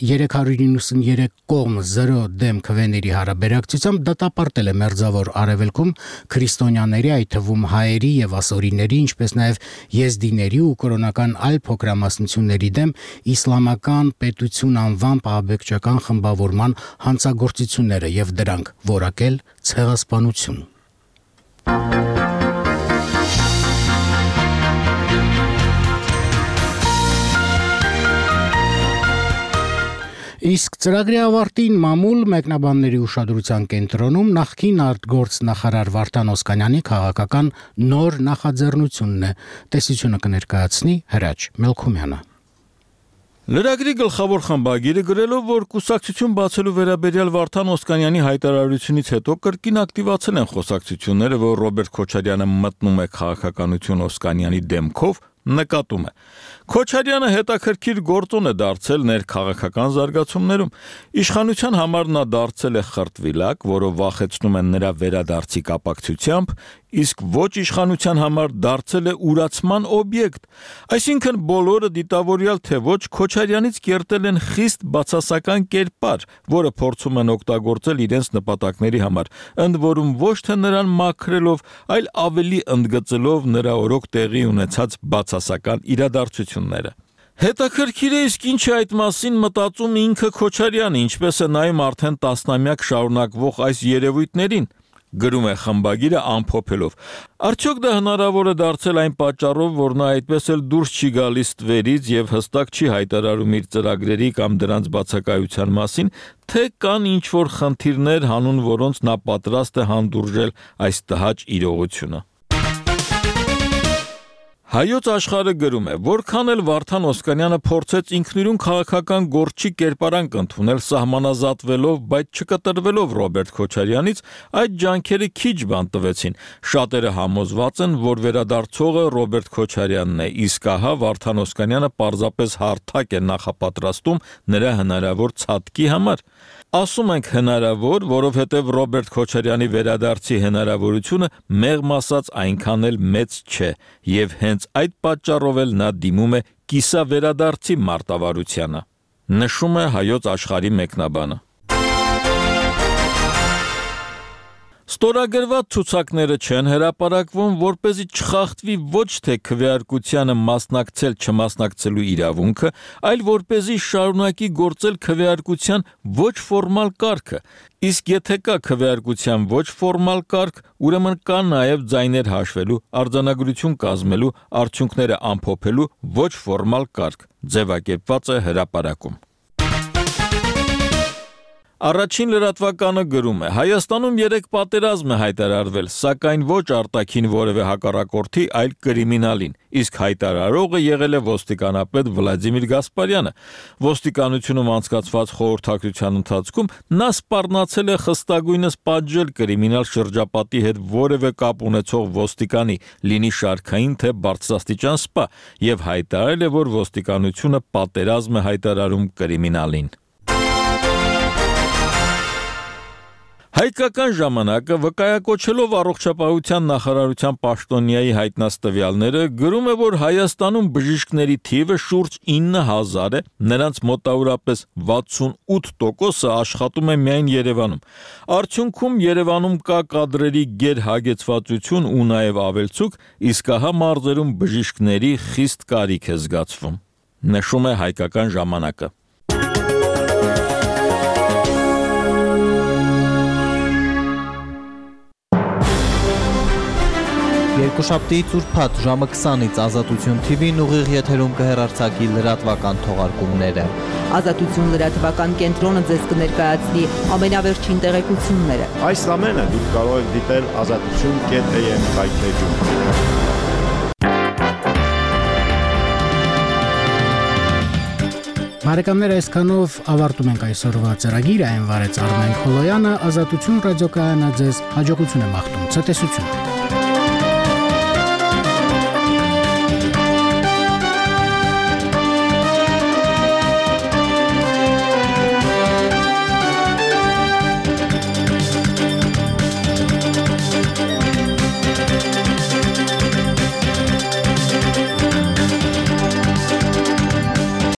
երեք հարյուր իննսուներեք կողմ զրո դեմ քվեների հարաբերակցությամբ դատապարտել է մերձավոր արևելքում քրիստոնյաների, այդ թվում հայերի եւ ասորիների, ինչպես նաեւ եզդիների ու կրոնական այլ փոքրամասնությունների դեմ իսլամական պետություն անվան ահաբեկչական խմբավորման հանցագործությունները եւ դրանք որակել ցեղասպանություն։ Իսկ ծրագրի ավարտին մամուլ մեկնաբանների ուշադրության կենտրոնում նախկին արտգործնախարար Վարդան Օսկանյանի քաղաքական նոր նախաձեռնությունն է։ Տեսությունը կներկայացնի Հրաչ Մելքումյանը։ Լրագրի գլխավոր խմբագիրը գրելով, որ կուսակցություն բացելու վերաբերյալ Վարդան Օսկանյանի հայտարարությունից հետո կրկին ակտիվացել են խոսակցությունները, որ Ռոբերտ Քոչարյանը մտնում է քաղաքականություն Օսկանյանի դեմքով, նկատում է. Քոչարյանը հետաքրքիր գործոն է դարձել ներքաղաքական զարգացումներում։ Իշխանության համար նա դարձել է խրտվիլակ, որը վախեցնում են նրա վերադարձի կապակցությամբ, իսկ ոչ իշխանության համար դարձել է ուրացման օբյեկտ։ Այսինքն բոլորը դիտավորյալ թե ոչ Քոչարյանից կերտել են խիստ բացասական կերպար, որը փորձում են օգտագործել իրենց նպատակների համար, ընդ որում ոչ թե նրան մաքրելով, այլ ավելի ընդգծելով նրա օրոք տեղի ունեցած բացասական իրադարձությունները։ Հետաքրքիր է, իսկ ինչ է այդ մասին մտածում ինքը Քոչարյանը, ինչպես է նայում արդեն տասնամյակ շարունակվող այս երևույթներին, գրում է խմբագիրը ամփոփելով։ Արդյոք դա հնարավոր է դարձել այն պատճառով, որ նա այդպես էլ դուրս չի գալիս տվերից եւ հստակ չի հայտարարում իր ծրագրերի կամ դրանց բացակայության մասին, թե կան ինչ-որ խնդիրներ, հանուն որոնց նա պատրաստ է հանդուրժել այս տհաճ իրողությունը։ Հայոց աշխարհը գրում է, որքան էլ Վարդան Օսկանյանը փորձեց ինքնուրույն քաղաքական գործի կերպարանք ընդունել սահմանազատվելով, բայց չկտրվելով Ռոբերտ Քոչարյանից, այդ ջանքերը քիչ բան տվեցին։ Շատերը համոզված են, որ վերադարձողը Ռոբերտ Քոչարյանն է, իսկ ահա Վարդան Օսկանյանը պարզապես հարթակ է նախապատրաստում նրա հնարավոր ցատկի համար։ Ասում ենք հնարավոր, որովհետև Ռոբերտ Քոչարյանի վերադարձի հնարավորությունը մեղմ ասած այնքան էլ մեծ չէ, եւ հենց այդ պատճառով էլ նա դիմում է կիսավերադարձի մարտավարությանը, նշում է Հայոց աշխարհի մեկնաբանը։ Ստորագրված ցուցակները չեն հրապարակվում, որպեսզի չխախտվի ոչ թե քվեարկությանը մասնակցել չմասնակցելու իրավունքը, այլ որպեսզի շարունակի գործել քվեարկության ոչ ֆորմալ կարգը։ Իսկ եթե կա քվեարկության ոչ ֆորմալ կարգ, ուրեմն կա նաև ձայներ հաշվելու, արձանագրություն կազմելու, արդյունքները ամփոփելու ոչ ֆորմալ կարգ, ձևակերպված է հրապարակում։ Առաջին լրատվականը գրում է. Հայաստանում երեք պատերազմ է հայտարարվել, սակայն ոչ արտաքին որևէ հակառակորդի, այլ կրիմինալին, իսկ հայտարարողը եղել է ոստիկանապետ Վլադիմիր Գասպարյանը։ Ոստիկանությունում անցկացված խորհրդակցության ընթացքում նա սպառնացել է խստագույնս պատժել կրիմինալ շրջապատի հետ որևէ կապ ունեցող ոստիկանի, լինի շարքային թե բարձրաստիճան սպա, եւ հայտարարել է, որ ոստիկանությունը պատերազմ է հայտարարում կրիմինալին։ Հայկական ժամանակը վկայակոչելով առողջապահության նախարարության պաշտոնյայի հայտնած տվյալները գրում է, որ Հայաստանում բժիշկների թիվը շուրջ ինը հազար է, նրանց մոտավորապես վաթսունութ տոկոսը աշխատում է միայն Երևանում։ Արդյունքում Երևանում կա կադրերի գերհագեցվածություն ու նաև ավելցուկ, իսկ ահա մարզերում բժիշկների խիստ կարիք է զգացվում։ Նշում է Հայկական ժամանակը։ Երկուշաբթիից ուրբաթ ժամը քսանից Ազատություն Թի Վին ուղիղ եթերում կհեռարձակի լրատվական թողարկումները։ Ազատություն լրատվական կենտրոնը ձեզ կներկայացնի ամենավերջին տեղեկությունները։ Այս ամենը դուք կարող եք դիտել ազատություն կետ է եմ հայտնեջում։ Բարեկամներ, այսքանով ավարտում ենք այսօրվա ծրագիրը, այն վարեց Արմեն Խոլոյանը, Ազատություն ռադիոկայանը ձեզ հաջողություն է մաղթում, ցտեսություն։